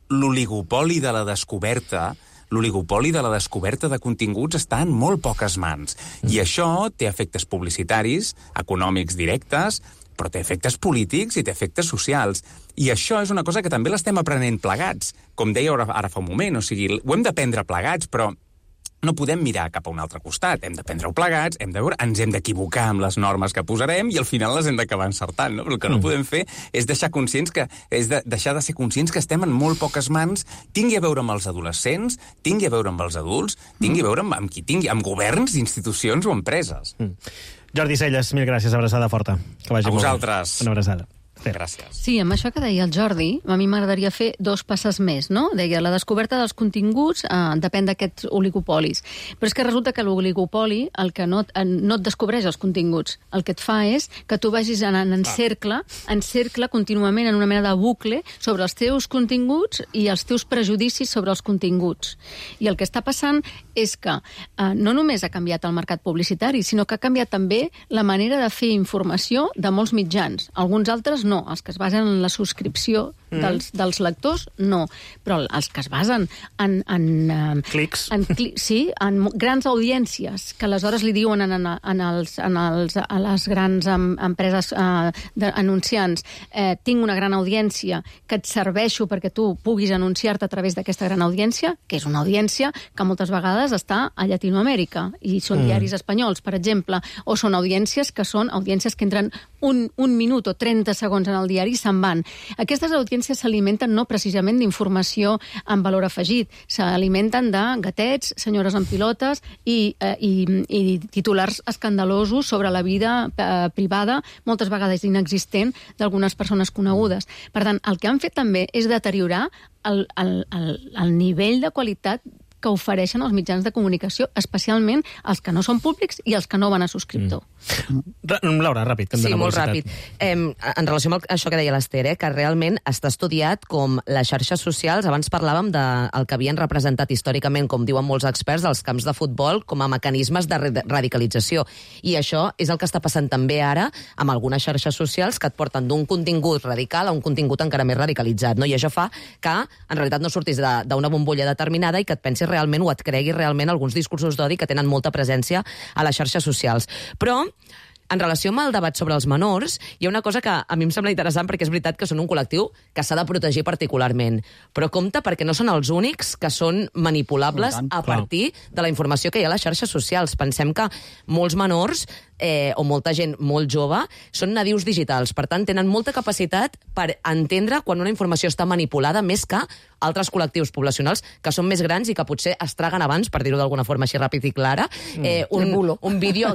l'oligopoli de la descoberta. L'oligopoli de la descoberta de continguts està en molt poques mans. I això té efectes publicitaris, econòmics directes, però té efectes polítics i té efectes socials. I això és una cosa que també l'estem aprenent plegats. Com deia ara fa un moment, o sigui, ho hem d'aprendre plegats, però no podem mirar cap a un altre costat. Hem d'aprendre-ho plegats, hem de veure, ens hem d'equivocar amb les normes que posarem i al final les hem d'acabar encertant, no? Però el que no podem fer és deixar de ser conscients que estem en molt poques mans, tingui a veure amb els adolescents, tingui a veure amb els adults, tingui a veure amb qui tingui, amb governs, institucions o empreses. Jordi Celles, mil gràcies, abraçada forta. Que vagi a vosaltres. Una abraçada. Gràcies. Sí, amb això que deia el Jordi, a mi m'agradaria fer 2 passes més, no? Deia, la descoberta dels continguts depèn d'aquests oligopolis. Però és que resulta que l'oligopoli el que no et descobreix els continguts. El que et fa és que tu vagis anant en cercle contínuament en una mena de bucle sobre els teus continguts i els teus prejudicis sobre els continguts. I el que està passant és que no només ha canviat el mercat publicitari, sinó que ha canviat també la manera de fer informació de molts mitjans. Alguns altres no, els que es basen en la subscripció dels lectors, no. Però els que es basen en clics. En grans audiències, que aleshores li diuen a les grans empreses anunciants tinc una gran audiència que et serveixo perquè tu puguis anunciar-te a través d'aquesta gran audiència, que és una audiència que moltes vegades està a Llatinoamèrica, i són diaris espanyols, per exemple, o són audiències que entren un minut o 30 segons en el diari i se'n van. Aquestes audiències s'alimenten no precisament d'informació amb valor afegit, s'alimenten de gatets, senyores amb pilotes i titulars escandalosos sobre la vida privada, moltes vegades inexistent, d'algunes persones conegudes. Per tant, el que han fet també és deteriorar el nivell de qualitat que ofereixen els mitjans de comunicació, especialment els que no són públics i els que no van a subscriptor. Laura, ràpid. Sí, molt ràpid. En relació amb això que deia l'Ester, que realment està estudiat com les xarxes socials, abans parlàvem del que havien representat històricament, com diuen molts experts, dels camps de futbol com a mecanismes de radicalització. I això és el que està passant també ara amb algunes xarxes socials que et porten d'un contingut radical a un contingut encara més radicalitzat. I això fa que, en realitat, no surtis d'una bombolla determinada i que et pensis realment o et cregui realment alguns discursos d'odi que tenen molta presència a les xarxes socials. Però en relació amb el debat sobre els menors, hi ha una cosa que a mi em sembla interessant perquè és veritat que són un col·lectiu que s'ha de protegir particularment. Però compte perquè no són els únics que són manipulables a partir de la informació que hi ha a les xarxes socials. Pensem que molts menors o molta gent molt jove són nadius digitals. Per tant, tenen molta capacitat per entendre quan una informació està manipulada més que altres col·lectius poblacionals que són més grans i que potser es traguen abans, per dir-ho d'alguna forma així ràpid i clara, un vídeo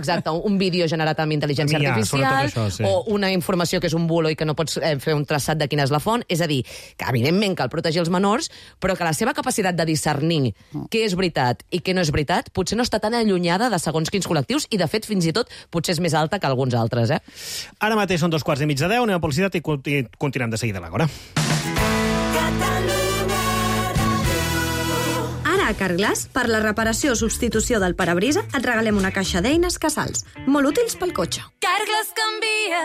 generat amb intel·ligència artificial o una informació que és un bulo i que no pots fer un traçat de quina és la font. És a dir, que evidentment cal protegir els menors, però que la seva capacitat de discernir què és veritat i què no és veritat potser no està tan allunyada de segons quins col·lectius i, de fet, fins i tot potser és més alta que alguns altres. Ara mateix són 9:45, anem a publicitat i continuem de seguida a l'Àgora. Ara a Carglass, per la reparació o substitució del parabrisa, et regalem una caixa d'eines Casals, molt útils pel cotxe. Carglass canvia,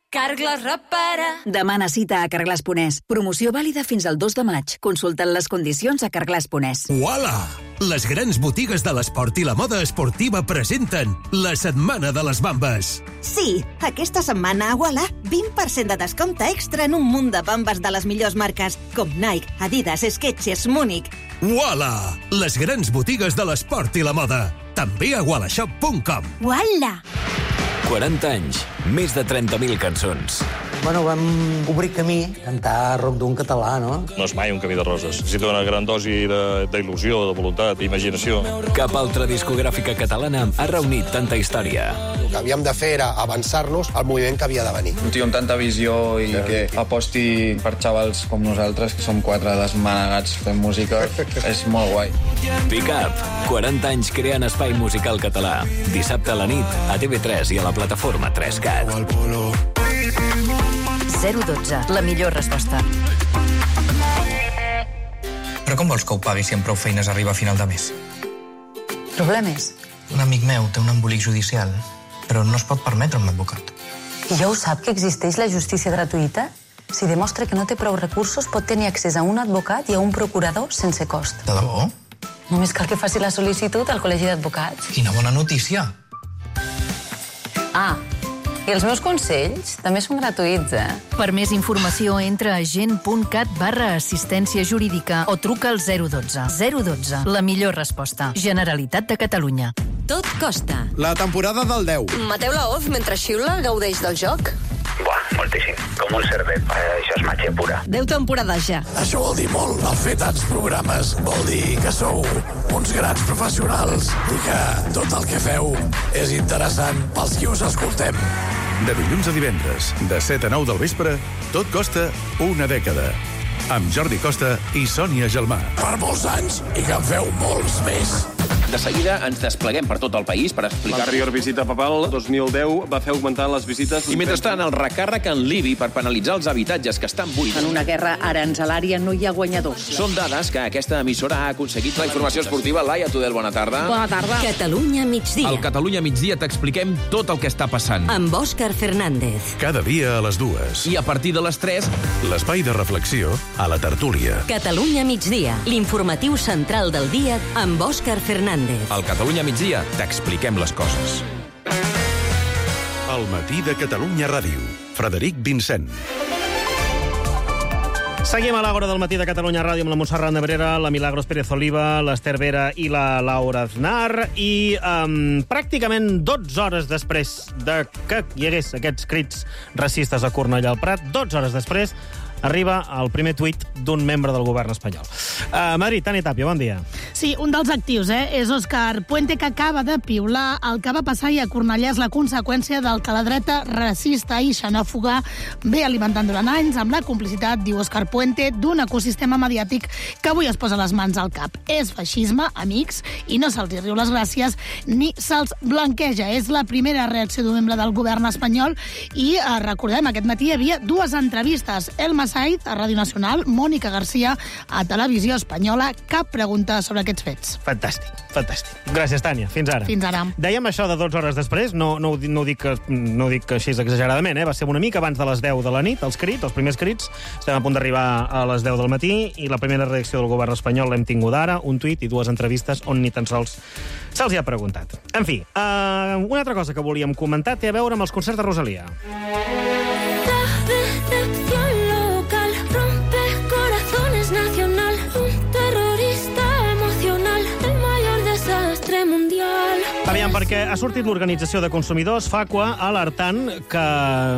Carglass repara. Demana cita a Carglass.es. Promoció vàlida fins al 2 de maig. Consulta't les condicions a Carglass.es. Uala! Les grans botigues de l'esport i la moda esportiva presenten la Setmana de les Bambes. Sí, aquesta setmana a Uala 20% de descompte extra en un munt de bombes de les millors marques, com Nike, Adidas, Skechers, Múnich. Uala! Les grans botigues de l'esport i la moda. També a wallashop.com. Uala! 40 anys, més de 30.000 cançons. Bueno, vam obrir camí, cantar rock d'un català, no? No és mai un camí de roses. Necessita una gran dosi d'il·lusió, de voluntat, d'imaginació. Cap altra discogràfica catalana ha reunit tanta història. El que havíem de fer era avançar-nos al moviment que havia de venir. Un tio amb tanta visió i que aposti per xavals com nosaltres, que som 4 desmanegats fent música, és molt guai. Pick Up, 40 anys creant espai musical català. Dissabte a la nit, a TV3 i a la plataforma 3CAT. 012, la millor resposta. Però com vols que ho pagui si amb prou feines arriba a final de mes? Problemes? Un amic meu té un embolic judicial, però no es pot permetre un advocat. I ja ho sap que existeix la justícia gratuïta? Si demostra que no té prou recursos, pot tenir accés a un advocat i a un procurador sense cost. De debò? Només cal que faci la sol·licitud al Col·legi d'Advocats. Quina bona notícia! Ah, i els meus consells també són gratuïts, Per més informació, entra a gent.cat/assistència jurídica o truca al 012. 012, la millor resposta. Generalitat de Catalunya. Tot costa. La temporada del 10. Mateu Laoz, mentre xiula, gaudeix del joc? Buah, moltíssim. Com un cervet. Això és màgia pura. 10 temporades ja. Això vol dir molt. El fer tants programes vol dir que sou uns grans professionals i que tot el que feu és interessant pels qui us escoltem. De dilluns a divendres, de 7 a 9 del vespre, Tot costa una dècada. Amb Jordi Costa i Sònia Gelmà. Per molts anys i que en feu molts més. De seguida ens despleguem per tot el país per explicar... L'anterior visita papal, 2010, va fer augmentar les visites... I mentrestant, el recàrrec en l'IBI per penalitzar els habitatges que estan buits. En una guerra aranzelària no hi ha guanyadors. Són dades que aquesta emissora ha aconseguit. La informació esportiva, Laia Tudel, bona tarda. Bona tarda. Catalunya migdia. Al Catalunya migdia t'expliquem tot el que està passant. Amb Òscar Fernández. Cada dia a les 2. I a partir de les 3... L'espai de reflexió a la tertúlia. Catalunya migdia. L'informatiu central del dia amb Òscar Fernández. Al Catalunya migdia t'expliquem les coses. El matí de Catalunya Ràdio. Frederic Vincent. Seguim a l'Àgora del matí de Catalunya Ràdio amb la Montserrat Nebrera, la Milagros Pérez Oliva, l'Ester Vera i la Laura Aznar. I pràcticament 12 hores després de que hi hagués aquests crits racistes a Cornellà al Prat, 12 hores després arriba el primer tuit d'un membre del govern espanyol. Madrid, Tània Tàpia, bon dia. Sí, un dels actius, és Òscar Puente, que acaba de piular. El que va passar i a Cornellà és la conseqüència del que la dreta racista i xenòfoga ve alimentant durant anys amb la complicitat, diu Òscar Puente, d'un ecosistema mediàtic que avui es posa les mans al cap. És feixisme, amics, i no se'ls riu les gràcies ni se'ls blanqueja. És la primera reacció d'un membre del govern espanyol i recordem, aquest matí hi havia dues entrevistes. Elma Said, a Ràdio Nacional, Mònica Garcia, a Televisió Espanyola. Cap pregunta sobre aquests fets. Fantàstic, fantàstic. Gràcies, Tània. Fins ara. Fins ara. Dèiem això de 12 hores després, no ho dic així exageradament, va ser una mica abans de les 10 de la nit, els primers crits. Estem a punt d'arribar a les 10 del matí i la primera reacció del govern espanyol l'hem tingut ara, un tuit i dues entrevistes on ni tan sols se'ls hi ha preguntat. En fi, una altra cosa que volíem comentar té a veure amb els concerts de Rosalía. Nacional, un terrorista emocional, el mayor desastre mundial. Aviam, perquè ha sortit l'Organització de Consumidors, FACUA, alertant que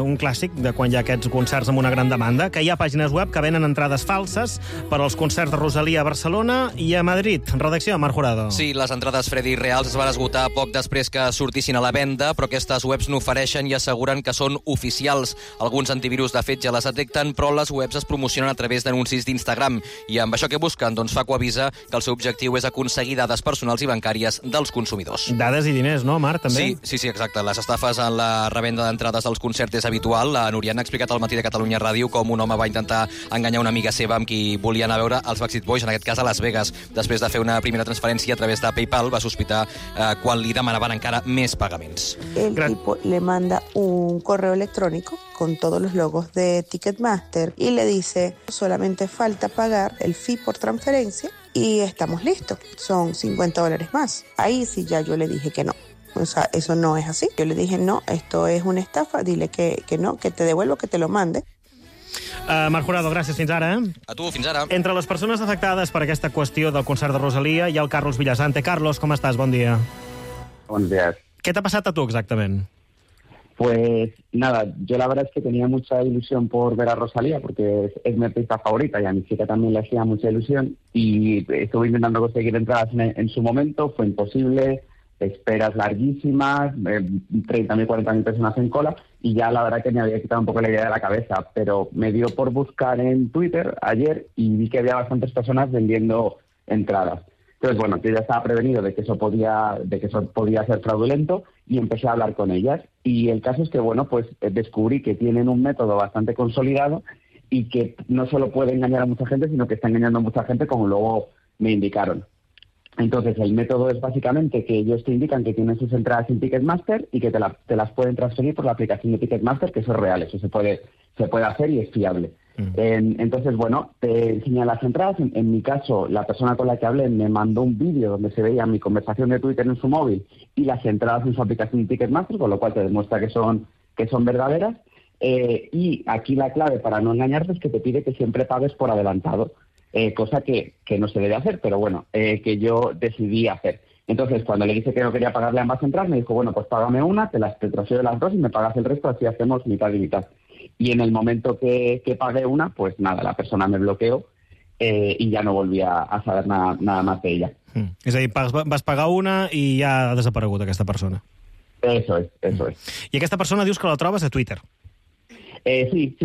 un clàssic de quan hi ha aquests concerts amb una gran demanda, que hi ha pàgines web que venen entrades falses per als concerts de Rosalía a Barcelona i a Madrid. Redacció, Marc Jurado. Sí, les entrades Freddy reals es van esgotar poc després que sortissin a la venda, però aquestes webs no ofereixen i asseguren que són oficials. Alguns antivirus, de fet, ja les detecten, però les webs es promocionen a través d'anuncis d'Instagram. I amb això que busquen, doncs FACUA avisa que el seu objectiu és aconseguir dades personals i bancàries dels consumidors. Dades i diners, no, Marc, també? Sí, exacte. Les estafes en la revenda d'entrades dels concerts és habitual. La Núria ha explicat al matí de Catalunya Ràdio com un home va intentar enganyar una amiga seva amb qui volia anar a veure els Backstreet Boys, en aquest cas a Las Vegas. Després de fer una primera transferència a través de PayPal, va sospitar quan li demanaven encara més pagaments. El tipo le manda un correo electrónico con todos los logos de Ticketmaster y le dice, solamente falta pagar el fee por transferencia y estamos listos. Son $50 más. Ahí sí ya yo le dije que no. O sea, eso no es así. Yo le dije, no, esto es una estafa, dile que no, que te devuelvo, que te lo mande. Marc Jurado, gràcies, fins ara. A tu, fins ara. Entre les persones afectades per aquesta qüestió del concert de Rosalía hi ha el Carlos Villasante. Carlos, com estàs? Bon dia. Buenos días. ¿Qué te ha pasado a tú exactamente? Pues nada, yo la verdad es que tenía mucha ilusión por ver a Rosalía, porque es mi artista favorita y a mi chica también le hacía mucha ilusión, y estuve intentando conseguir entradas en su momento, fue imposible, esperas larguísimas, 30.000, 40.000 personas en cola, y ya la verdad que me había quitado un poco la idea de la cabeza, pero me dio por buscar en Twitter ayer y vi que había bastantes personas vendiendo entradas. Entonces, bueno, yo ya estaba prevenido de que eso podía ser fraudulento y empecé a hablar con ellas. Y el caso es que, bueno, pues descubrí que tienen un método bastante consolidado y que no solo puede engañar a mucha gente, sino que está engañando a mucha gente, como luego me indicaron. Entonces, el método es básicamente que ellos te indican que tienen sus entradas en Ticketmaster y que te las pueden transferir por la aplicación de Ticketmaster, que eso es real, eso se puede hacer y es fiable. Entonces, bueno, te enseñan las entradas. En mi caso, la persona con la que hablé me mandó un vídeo donde se veía mi conversación de Twitter en su móvil y las entradas en su aplicación de Ticketmaster, con lo cual te demuestra que son verdaderas. Y aquí la clave para no engañarte es que te pide que siempre pagues por adelantado, cosa que no se debe hacer, pero bueno, que yo decidí hacer. Entonces, cuando le dije que no quería pagarle ambas entradas, me dijo, bueno, pues págame una, te transfiero las dos y me pagas el resto, así hacemos mitad y mitad. Y en el momento que pagué una, pues nada, la persona me bloqueó y ya no volví a saber nada más de ella. És a dir, vas pagar una i ja ha desaparegut aquesta persona. Eso es. I aquesta persona dius que la trobes a Twitter. Sí.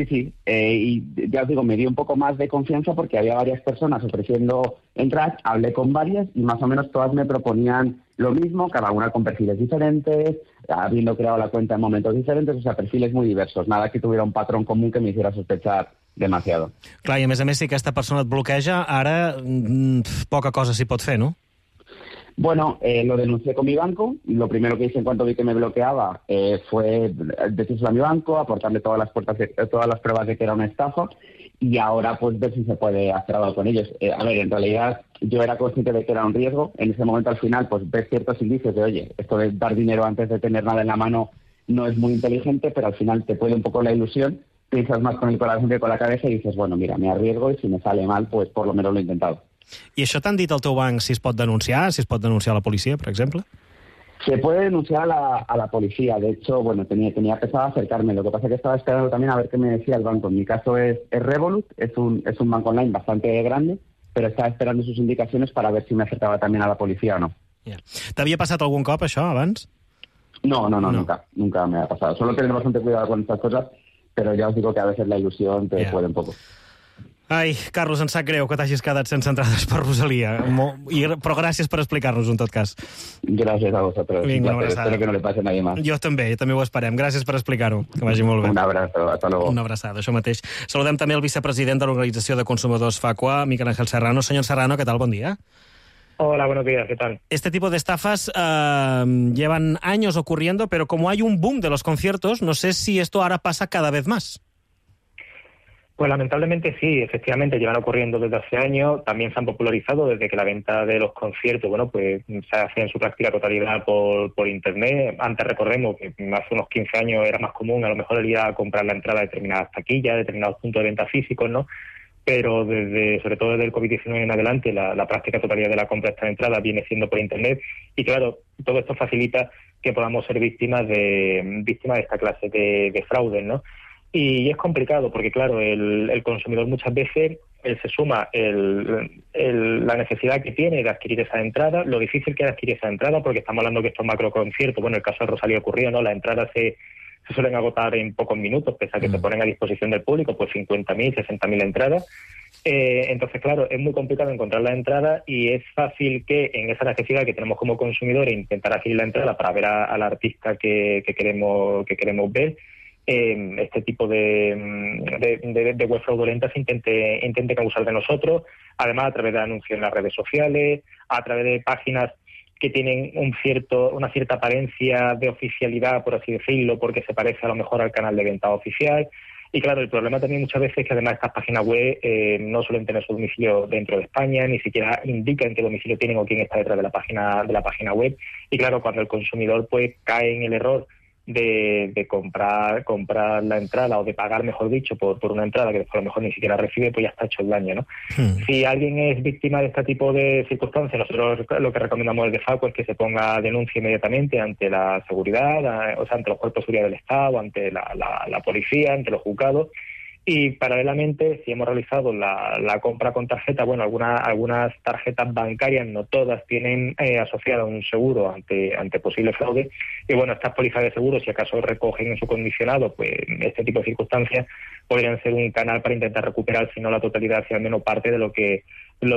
Y ya os digo, me dio un poco más de confianza porque había varias personas ofreciendo entradas, hablé con varias y más o menos todas me proponían lo mismo, cada una con perfiles diferentes, habiendo creado la cuenta en momentos diferentes, o sea, perfiles muy diversos, nada que tuviera un patrón común que me hiciera sospechar demasiado. Clar, i a més, si aquesta persona et bloqueja, ara poca cosa s'hi pot fer, no? Bueno, lo denuncié con mi banco. Lo primero que hice en cuanto vi que me bloqueaba fue decírselo a mi banco, aportarle todas las pruebas de que era una estafa y ahora pues ver si se puede hacer algo con ellos. A ver, en realidad yo era consciente de que era un riesgo. En ese momento al final pues ves ciertos indicios de, oye, esto de dar dinero antes de tener nada en la mano no es muy inteligente, pero al final te puede un poco la ilusión, piensas más con el corazón que con la cabeza y dices, bueno, mira, me arriesgo y si me sale mal, pues por lo menos lo he intentado. I això t'han dit al teu banc si es pot denunciar a la policia, per exemple? Se puede denunciar a la policía. De hecho, bueno, tenía pensado acercarme. Lo que pasa es que estaba esperando también a ver qué me decía el banco. En mi caso es Revolut, es un banco online bastante grande, pero estaba esperando sus indicaciones para ver si me acercaba también a la policía o no. Yeah. ¿T'havia passat algun cop això abans? No, nunca me ha pasado. Solo tener bastante cuidado con estas cosas, pero ya os digo que a veces la ilusión te puede un poco. Ai, Carlos, em sap greu que t'hagis quedat sense entrades per Rosalía, però gràcies per explicar-nos en tot cas. Gràcies a vosaltres. Vinga, una abraçada. Espero que no le pase a nadie más. Jo també ho esperem. Gràcies per explicar-ho. Que vagi molt bé. Un abrazo, hasta luego. Una abraçada, això mateix. Saludem també el vicepresident de l'Organització de Consumidors FACUA, Miquel Ángel Serrano. Señor Serrano, ¿qué tal? Buen día. Hola, buenos días, ¿qué tal? Este tipo de estafas llevan años ocurriendo, pero como hay un boom de los conciertos, no sé si esto ahora pasa cada vez más. Pues lamentablemente sí, efectivamente llevan ocurriendo desde hace años, también se han popularizado desde que la venta de los conciertos, bueno, pues se hace en su práctica totalidad por internet. Antes recordemos que hace unos 15 años era más común a lo mejor el ir a comprar la entrada a determinadas taquillas, determinados puntos de venta físicos, ¿no? Pero sobre todo desde el COVID-19 en adelante, la práctica totalidad de la compra de estas entradas viene siendo por internet y claro, todo esto facilita que podamos ser víctimas de esta clase de fraudes, ¿no? Y es complicado porque, claro, el consumidor muchas veces se suma la necesidad que tiene de adquirir esa entrada, lo difícil que es adquirir esa entrada, porque estamos hablando que estos macroconciertos, bueno, el caso de Rosalía ocurrió, ¿no? Las entradas se suelen agotar en pocos minutos, pese a que se ponen a disposición del público, pues 50.000, 60.000 entradas. Entonces, claro, es muy complicado encontrar la entrada y es fácil que en esa necesidad que tenemos como consumidores intentar adquirir la entrada para ver al artista que queremos ver, este tipo de web fraudulentas intente abusar de nosotros, además a través de anuncios en las redes sociales, a través de páginas que tienen una cierta apariencia de oficialidad, por así decirlo, porque se parece a lo mejor al canal de venta oficial. Y claro, el problema también muchas veces es que además estas páginas web no suelen tener su domicilio dentro de España, ni siquiera indican qué domicilio tienen o quién está detrás de la página web. Y claro, cuando el consumidor pues cae en el error de comprar la entrada o de pagar, mejor dicho, por una entrada que después a lo mejor ni siquiera recibe, pues ya está hecho el daño, ¿no? Si alguien es víctima de este tipo de circunstancias, nosotros lo que recomendamos desde FACO es que se ponga denuncia inmediatamente ante la seguridad, o sea, ante los cuerpos de seguridad del Estado, ante la policía, ante los juzgados. Y paralelamente, si hemos realizado la compra con tarjeta, bueno, algunas tarjetas bancarias, no todas, tienen asociado un seguro ante posible fraude. Y bueno, estas pólizas de seguro, si acaso recogen en su condicionado, pues este tipo de circunstancias podrían ser un canal para intentar recuperar, si no la totalidad, si al menos parte de lo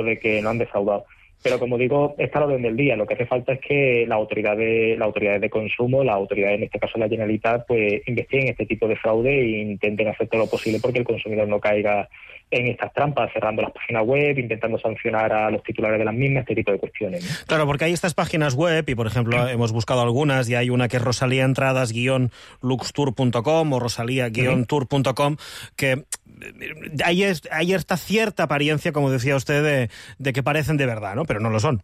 de que no han defraudado. Pero como digo, está a la orden del día. Lo que hace falta es que las autoridades de consumo, las autoridades, en este caso la Generalitat, pues investiguen este tipo de fraude e intenten hacer todo lo posible porque el consumidor no caiga en estas trampas, cerrando las páginas web, intentando sancionar a los titulares de las mismas, este tipo de cuestiones, ¿no? Claro, porque hay estas páginas web y, por ejemplo, hemos buscado algunas y hay una que es rosalíaentradas-luxtour.com o rosalía-tour.com, que hay esta cierta apariencia, como decía usted, de que parecen de verdad, ¿no? Pero no lo son.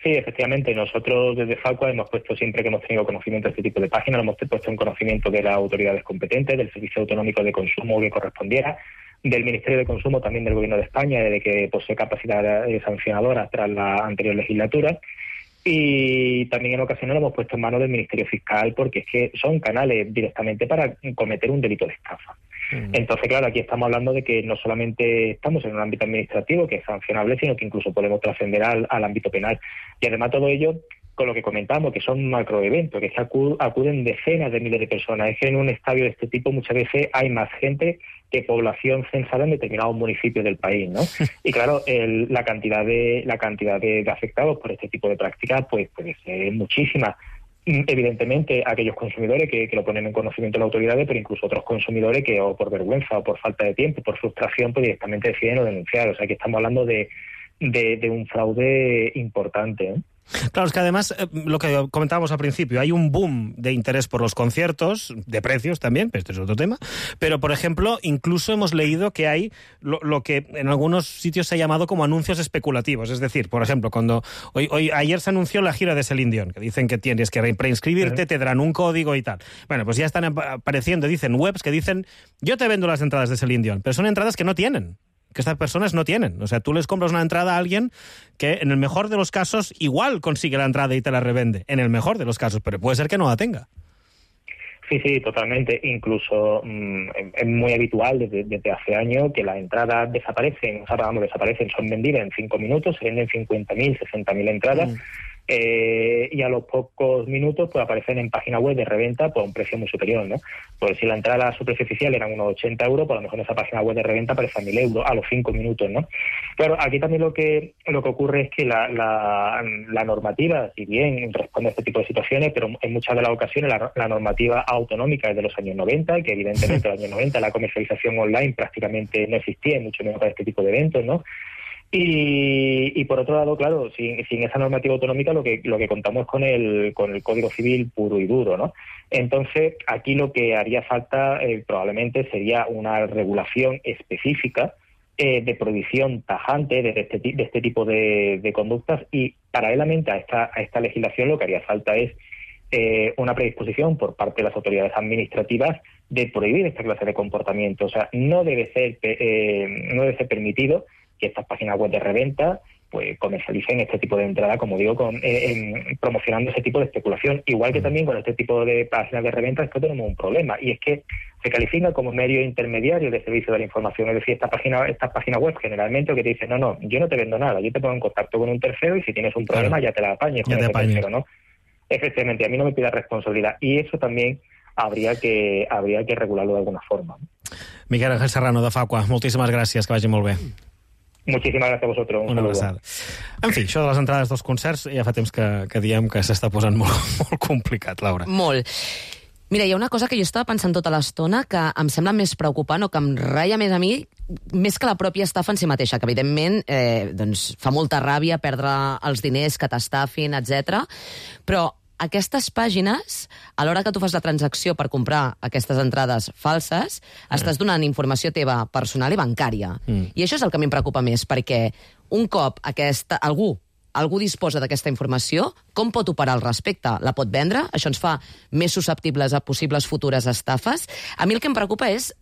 Sí, efectivamente. Nosotros desde FACO hemos puesto, siempre que hemos tenido conocimiento de este tipo de páginas, lo hemos puesto en conocimiento de las autoridades competentes, del Servicio Autonómico de Consumo que correspondiera, del Ministerio de Consumo, también del Gobierno de España, de que posee capacidad sancionadora tras la anterior legislatura. Y también en ocasiones lo hemos puesto en manos del Ministerio Fiscal porque es que son canales directamente para cometer un delito de estafa. Entonces, claro, aquí estamos hablando de que no solamente estamos en un ámbito administrativo que es sancionable, sino que incluso podemos trascender al ámbito penal. Y además todo ello con lo que comentamos, que son macroeventos, que acuden decenas de miles de personas. Es que en un estadio de este tipo muchas veces hay más gente que población censada en determinados municipios del país, ¿no? Y claro, la cantidad de afectados por este tipo de prácticas pues puede ser muchísima. Evidentemente, aquellos consumidores que lo ponen en conocimiento de las autoridades, pero incluso otros consumidores que o por vergüenza o por falta de tiempo, por frustración, pues directamente deciden no denunciar. O sea, que estamos hablando de un fraude importante, ¿eh? Claro, es que además, lo que comentábamos al principio, hay un boom de interés por los conciertos, de precios también, pero este es otro tema, pero, por ejemplo, incluso hemos leído que hay lo que en algunos sitios se ha llamado como anuncios especulativos, es decir, por ejemplo, cuando ayer se anunció la gira de Celine Dion, que dicen que tienes que preinscribirte, te darán un código y tal. Bueno, pues ya están apareciendo, dicen webs que dicen, yo te vendo las entradas de Celine Dion, pero son entradas que no tienen, que estas personas no tienen. O sea, tú les compras una entrada a alguien que en el mejor de los casos igual consigue la entrada y te la revende, en el mejor de los casos, pero puede ser que no la tenga. Sí, totalmente. Incluso es muy habitual desde hace años que las entradas desaparecen, son vendidas en 5 minutos, se venden 50.000, 60.000 entradas, y a los pocos minutos pues aparecen en página web de reventa por un precio muy superior, ¿no? Pues si la entrada a su precio oficial eran unos 80 euros, pues a lo mejor en esa página web de reventa aparece a 1.000 euros a los 5 minutos, ¿no? Claro, aquí también lo que ocurre es que la normativa, si bien responde a este tipo de situaciones, pero en muchas de las ocasiones la normativa autonómica es de los años 90, que evidentemente en los años 90 la comercialización online prácticamente no existía, mucho menos para este tipo de eventos, ¿no? Y por otro lado, claro, sin esa normativa autonómica lo que contamos es con el Código Civil puro y duro, ¿no? Entonces, aquí lo que haría falta probablemente sería una regulación específica de prohibición tajante de este tipo de conductas, y paralelamente a esta legislación lo que haría falta es una predisposición por parte de las autoridades administrativas de prohibir esta clase de comportamiento. O sea, no debe ser permitido que estas páginas web de reventa pues comercialicen este tipo de entrada, como digo, promocionando ese tipo de especulación. Igual que también con este tipo de páginas de reventa, esto tenemos un problema, y es que se califica como medio intermediario de servicio de la información. Es decir, estas páginas web generalmente lo que te dicen, no, yo no te vendo nada, yo te pongo en contacto con un tercero y si tienes un problema ya te la apañes con ese tercero, ¿no? Efectivamente, a mí no me pidas responsabilidad, y eso también habría que regularlo de alguna forma. Miquel Ángel Serrano, de FACO, moltíssimes gràcies, que vagi molt bé. Moltíssimes gràcies a vosaltres. Una abraçada. En fi, això de les entrades dels concerts ja fa temps que diem que s'està posant molt complicat, Laura. Molt. Mira, hi ha una cosa que jo estava pensant tota l'estona que em sembla més preocupant o que em ratlla més a mi, més que la pròpia estafa en si mateixa, que evidentment doncs, fa molta ràbia perdre els diners que t'estafin, etc. Però aquestes pàgines, a l'hora que tu fas la transacció per comprar aquestes entrades falses, estàs donant informació teva personal i bancària. I això és el que a mi em preocupa més, perquè un cop algú disposa d'aquesta informació, com pot operar al respecte? La pot vendre? Això ens fa més susceptibles a possibles futures estafes? A mi el que em preocupa és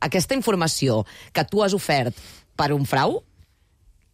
aquesta informació que tu has ofert per un frau,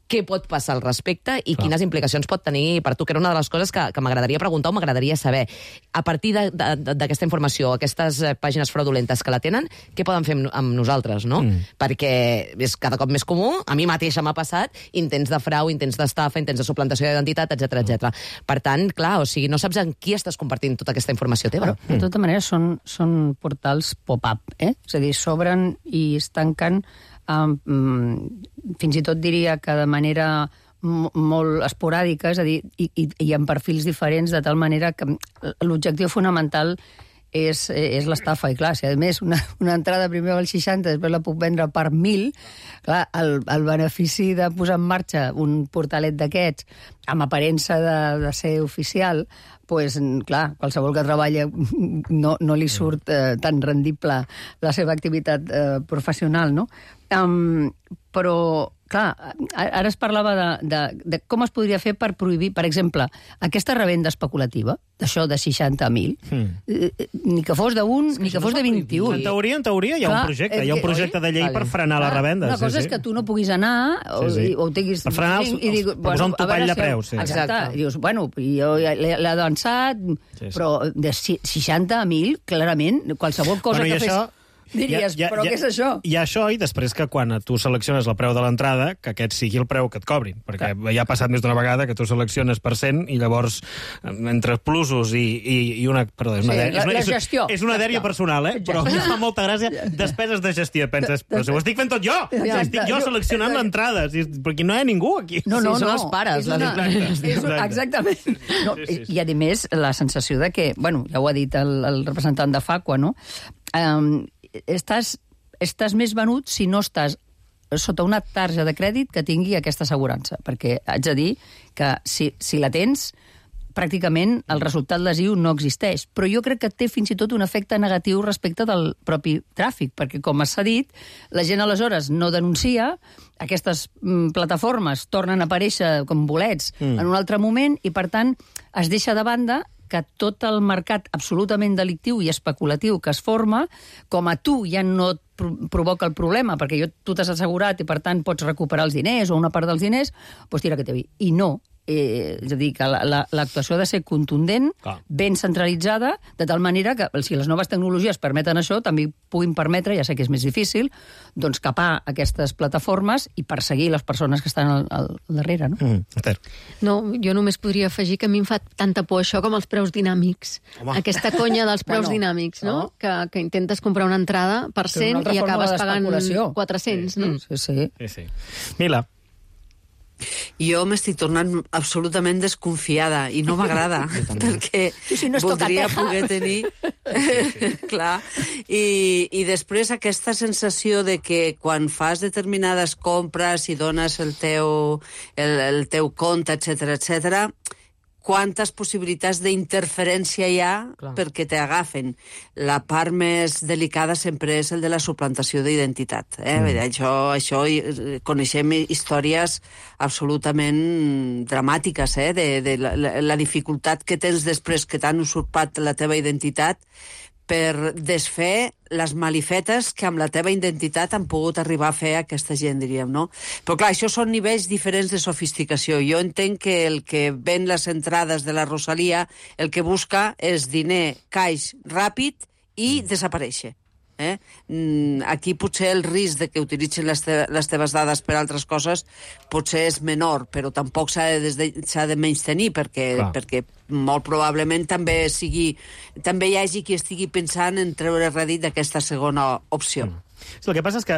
què pot passar al respecte i quines implicacions pot tenir per tu, que era una de les coses que m'agradaria preguntar o m'agradaria saber. A partir d'aquesta informació, aquestes pàgines fraudulentes que la tenen, què poden fer amb nosaltres, no? Perquè és cada cop més comú, a mi mateixa m'ha passat, intents de frau, intents d'estafa, intents de suplantació d'identitat, etc. Per tant, clar, o sigui, no saps en qui estàs compartint tota aquesta informació teva. De tota manera, són portals pop-up, És a dir, s'obren i es tanquen fins i tot diria que de manera molt esporàdica, és a dir, i en perfils diferents, de tal manera que l'objectiu fonamental és l'estafa. I clar, si a més una entrada primer val 60, després la puc vendre per 1.000, clar, el benefici de posar en marxa un portalet d'aquests amb aparença de ser oficial, pues, clar, qualsevol que treballa no li surt tan rendible la seva activitat professional, no? Però, clar, ara es parlava de com es podria fer per prohibir, per exemple, aquesta revenda especulativa, d'això de 60.000, ni que fos d'un, ni que fos de 21. En teoria hi ha un projecte, hi ha un projecte de llei per frenar la revenda. Una cosa és que tu no puguis anar o tinguis... Per frenar per posar un topall de preus. Exacte. Dius, bueno, jo l'he avançat, però de 60.000, clarament, qualsevol cosa que fes... Diries, però què és això? Hi ha això, i després que quan tu selecciones el preu de l'entrada, que aquest sigui el preu que et cobrin. Perquè ja ha passat més d'una vegada que tu selecciones per 100 i llavors, entre plusos i una... Perdó, la gestió. És una dèria personal, però em fa molta gràcia. Despeses de gestió. Penses, però si ho estic fent tot jo! Estic jo seleccionant l'entrada. Perquè no hi ha ningú aquí. No. Són els pares. Exactament. I, a més, la sensació de que, bueno, ja ho ha dit el representant de Facua, no? Estàs més venut si no estàs sota una tarja de crèdit que tingui aquesta assegurança, perquè haig de dir que si la tens, pràcticament el resultat lesiu no existeix. Però jo crec que té fins i tot un efecte negatiu respecte del propi tràfic, perquè, com s'ha dit, la gent aleshores no denuncia, aquestes plataformes tornen a aparèixer com bolets en un altre moment i, per tant, es deixa de banda que tot el mercat absolutament delictiu i especulatiu que es forma, com a tu ja no et provoca el problema, perquè tu t'has assegurat i, per tant, pots recuperar els diners o una part dels diners, doncs tira que té vi. I no. És a dir, que l'actuació ha de ser contundent, ben centralitzada, de tal manera que, si les noves tecnologies permeten això, també puguin permetre, ja sé que és més difícil, doncs capar aquestes plataformes i perseguir les persones que estan al darrere, no? No, jo només podria afegir que a mi em fa tanta por això com els preus dinàmics. Aquesta conya dels preus dinàmics, no? Que intentes comprar una entrada per 100 i acabes pagant 400, no? Sí. Mila. Jo m'estic tornant absolutament desconfiada i no m'agrada, perquè voldria poder tenir... Clar. I després aquesta sensació de que quan fas determinades compres i dones el teu compte, etc., quantes possibilitats d'interferència hi ha perquè t'agafen. La part més delicada sempre és el de la suplantació d'identitat. Això coneixem històries absolutament dramàtiques, de la dificultat que tens després que t'han usurpat la teva identitat per desfer les malifetes que amb la teva identitat han pogut arribar a fer aquesta gent, diríem, no? Però clar, això són nivells diferents de sofisticació. Jo entenc que el que ven les entrades de la Rosalia el que busca és diner, caix, ràpid i desaparèixer. Aquí potser el risc de que utilitzin les teves dades per altres coses potser és menor, però tampoc s'ha de menystenir perquè molt probablement també hi hagi qui estigui pensant en treure rèdit d'aquesta segona opció. El que passa és que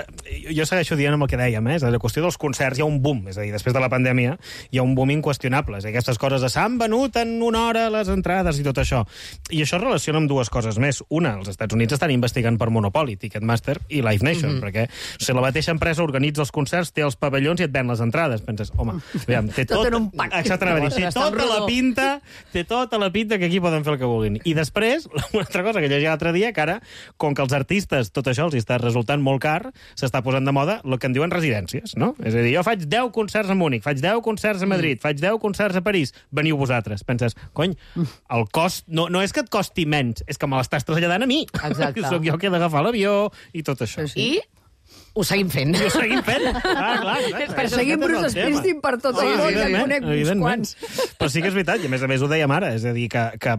jo segueixo dient amb el que dèiem, és a dir, la qüestió dels concerts hi ha un boom, és a dir, després de la pandèmia hi ha un boom inqüestionable, aquestes coses de s'han venut en una hora les entrades i tot això. I això es relaciona amb dues coses més. Una, els Estats Units estan investigant per monopoli, Ticketmaster i Live Nation, perquè si la mateixa empresa organitza els concerts, té els pavellons i et ven les entrades. Penses, home, aviam, té tot en un pack. Exactament, té tota la pinta té tota la pinta que aquí poden fer el que vulguin. I després, una altra cosa que llegia l'altre dia, que ara, com que els artistes, tot això els està resultant molt car, s'està posant de moda el que en diuen residències, no? És a dir, jo faig 10 concerts a Múnich, faig 10 concerts a Madrid, faig 10 concerts a París, veniu vosaltres. Penses, cony, el cost no és que et costi menys, és que me l'estàs traslladant a mi. Exacte. Soc jo que he d'agafar l'avió i tot això. I ho seguim fent. I ho seguim fent. Clar. Perseguim Bruce Springsteen per tot el món, que en conec uns quants. Però sí que és veritat, i a més ho dèiem ara, és a dir, que a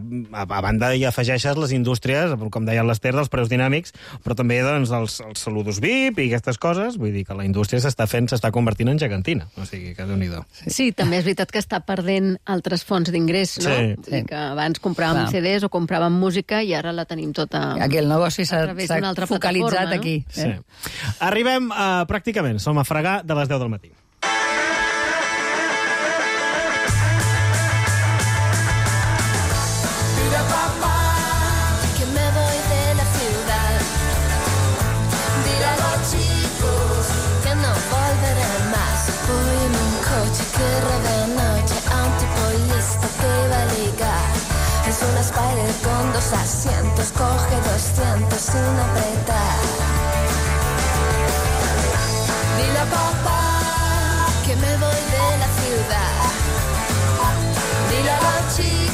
banda hi afegeixes les indústries, com deia l'Ester, dels preus dinàmics, però també doncs, els saludos VIP i aquestes coses, vull dir que la indústria s'està convertint en gegantina, o sigui que Déu-n'hi-do. Sí, també és veritat que està perdent altres fonts d'ingrés, no? Sí. Que abans compràvem CDs o compràvem música i ara la tenim tota... Aquí el negoci s'ha focalitzat aquí. Sí. Arribem pràcticament, som a fregar de les 10 del matí. Mira, papá, que me voy de la ciudad. Dile a los chicos que no volveré más. Voy en un coche que roba de noche a un tipo listo que va a ligar. Es una Spider con 2 asientos, coge 200 sin apretar. Dile a papá que me voy de la ciudad. Dile a los chicos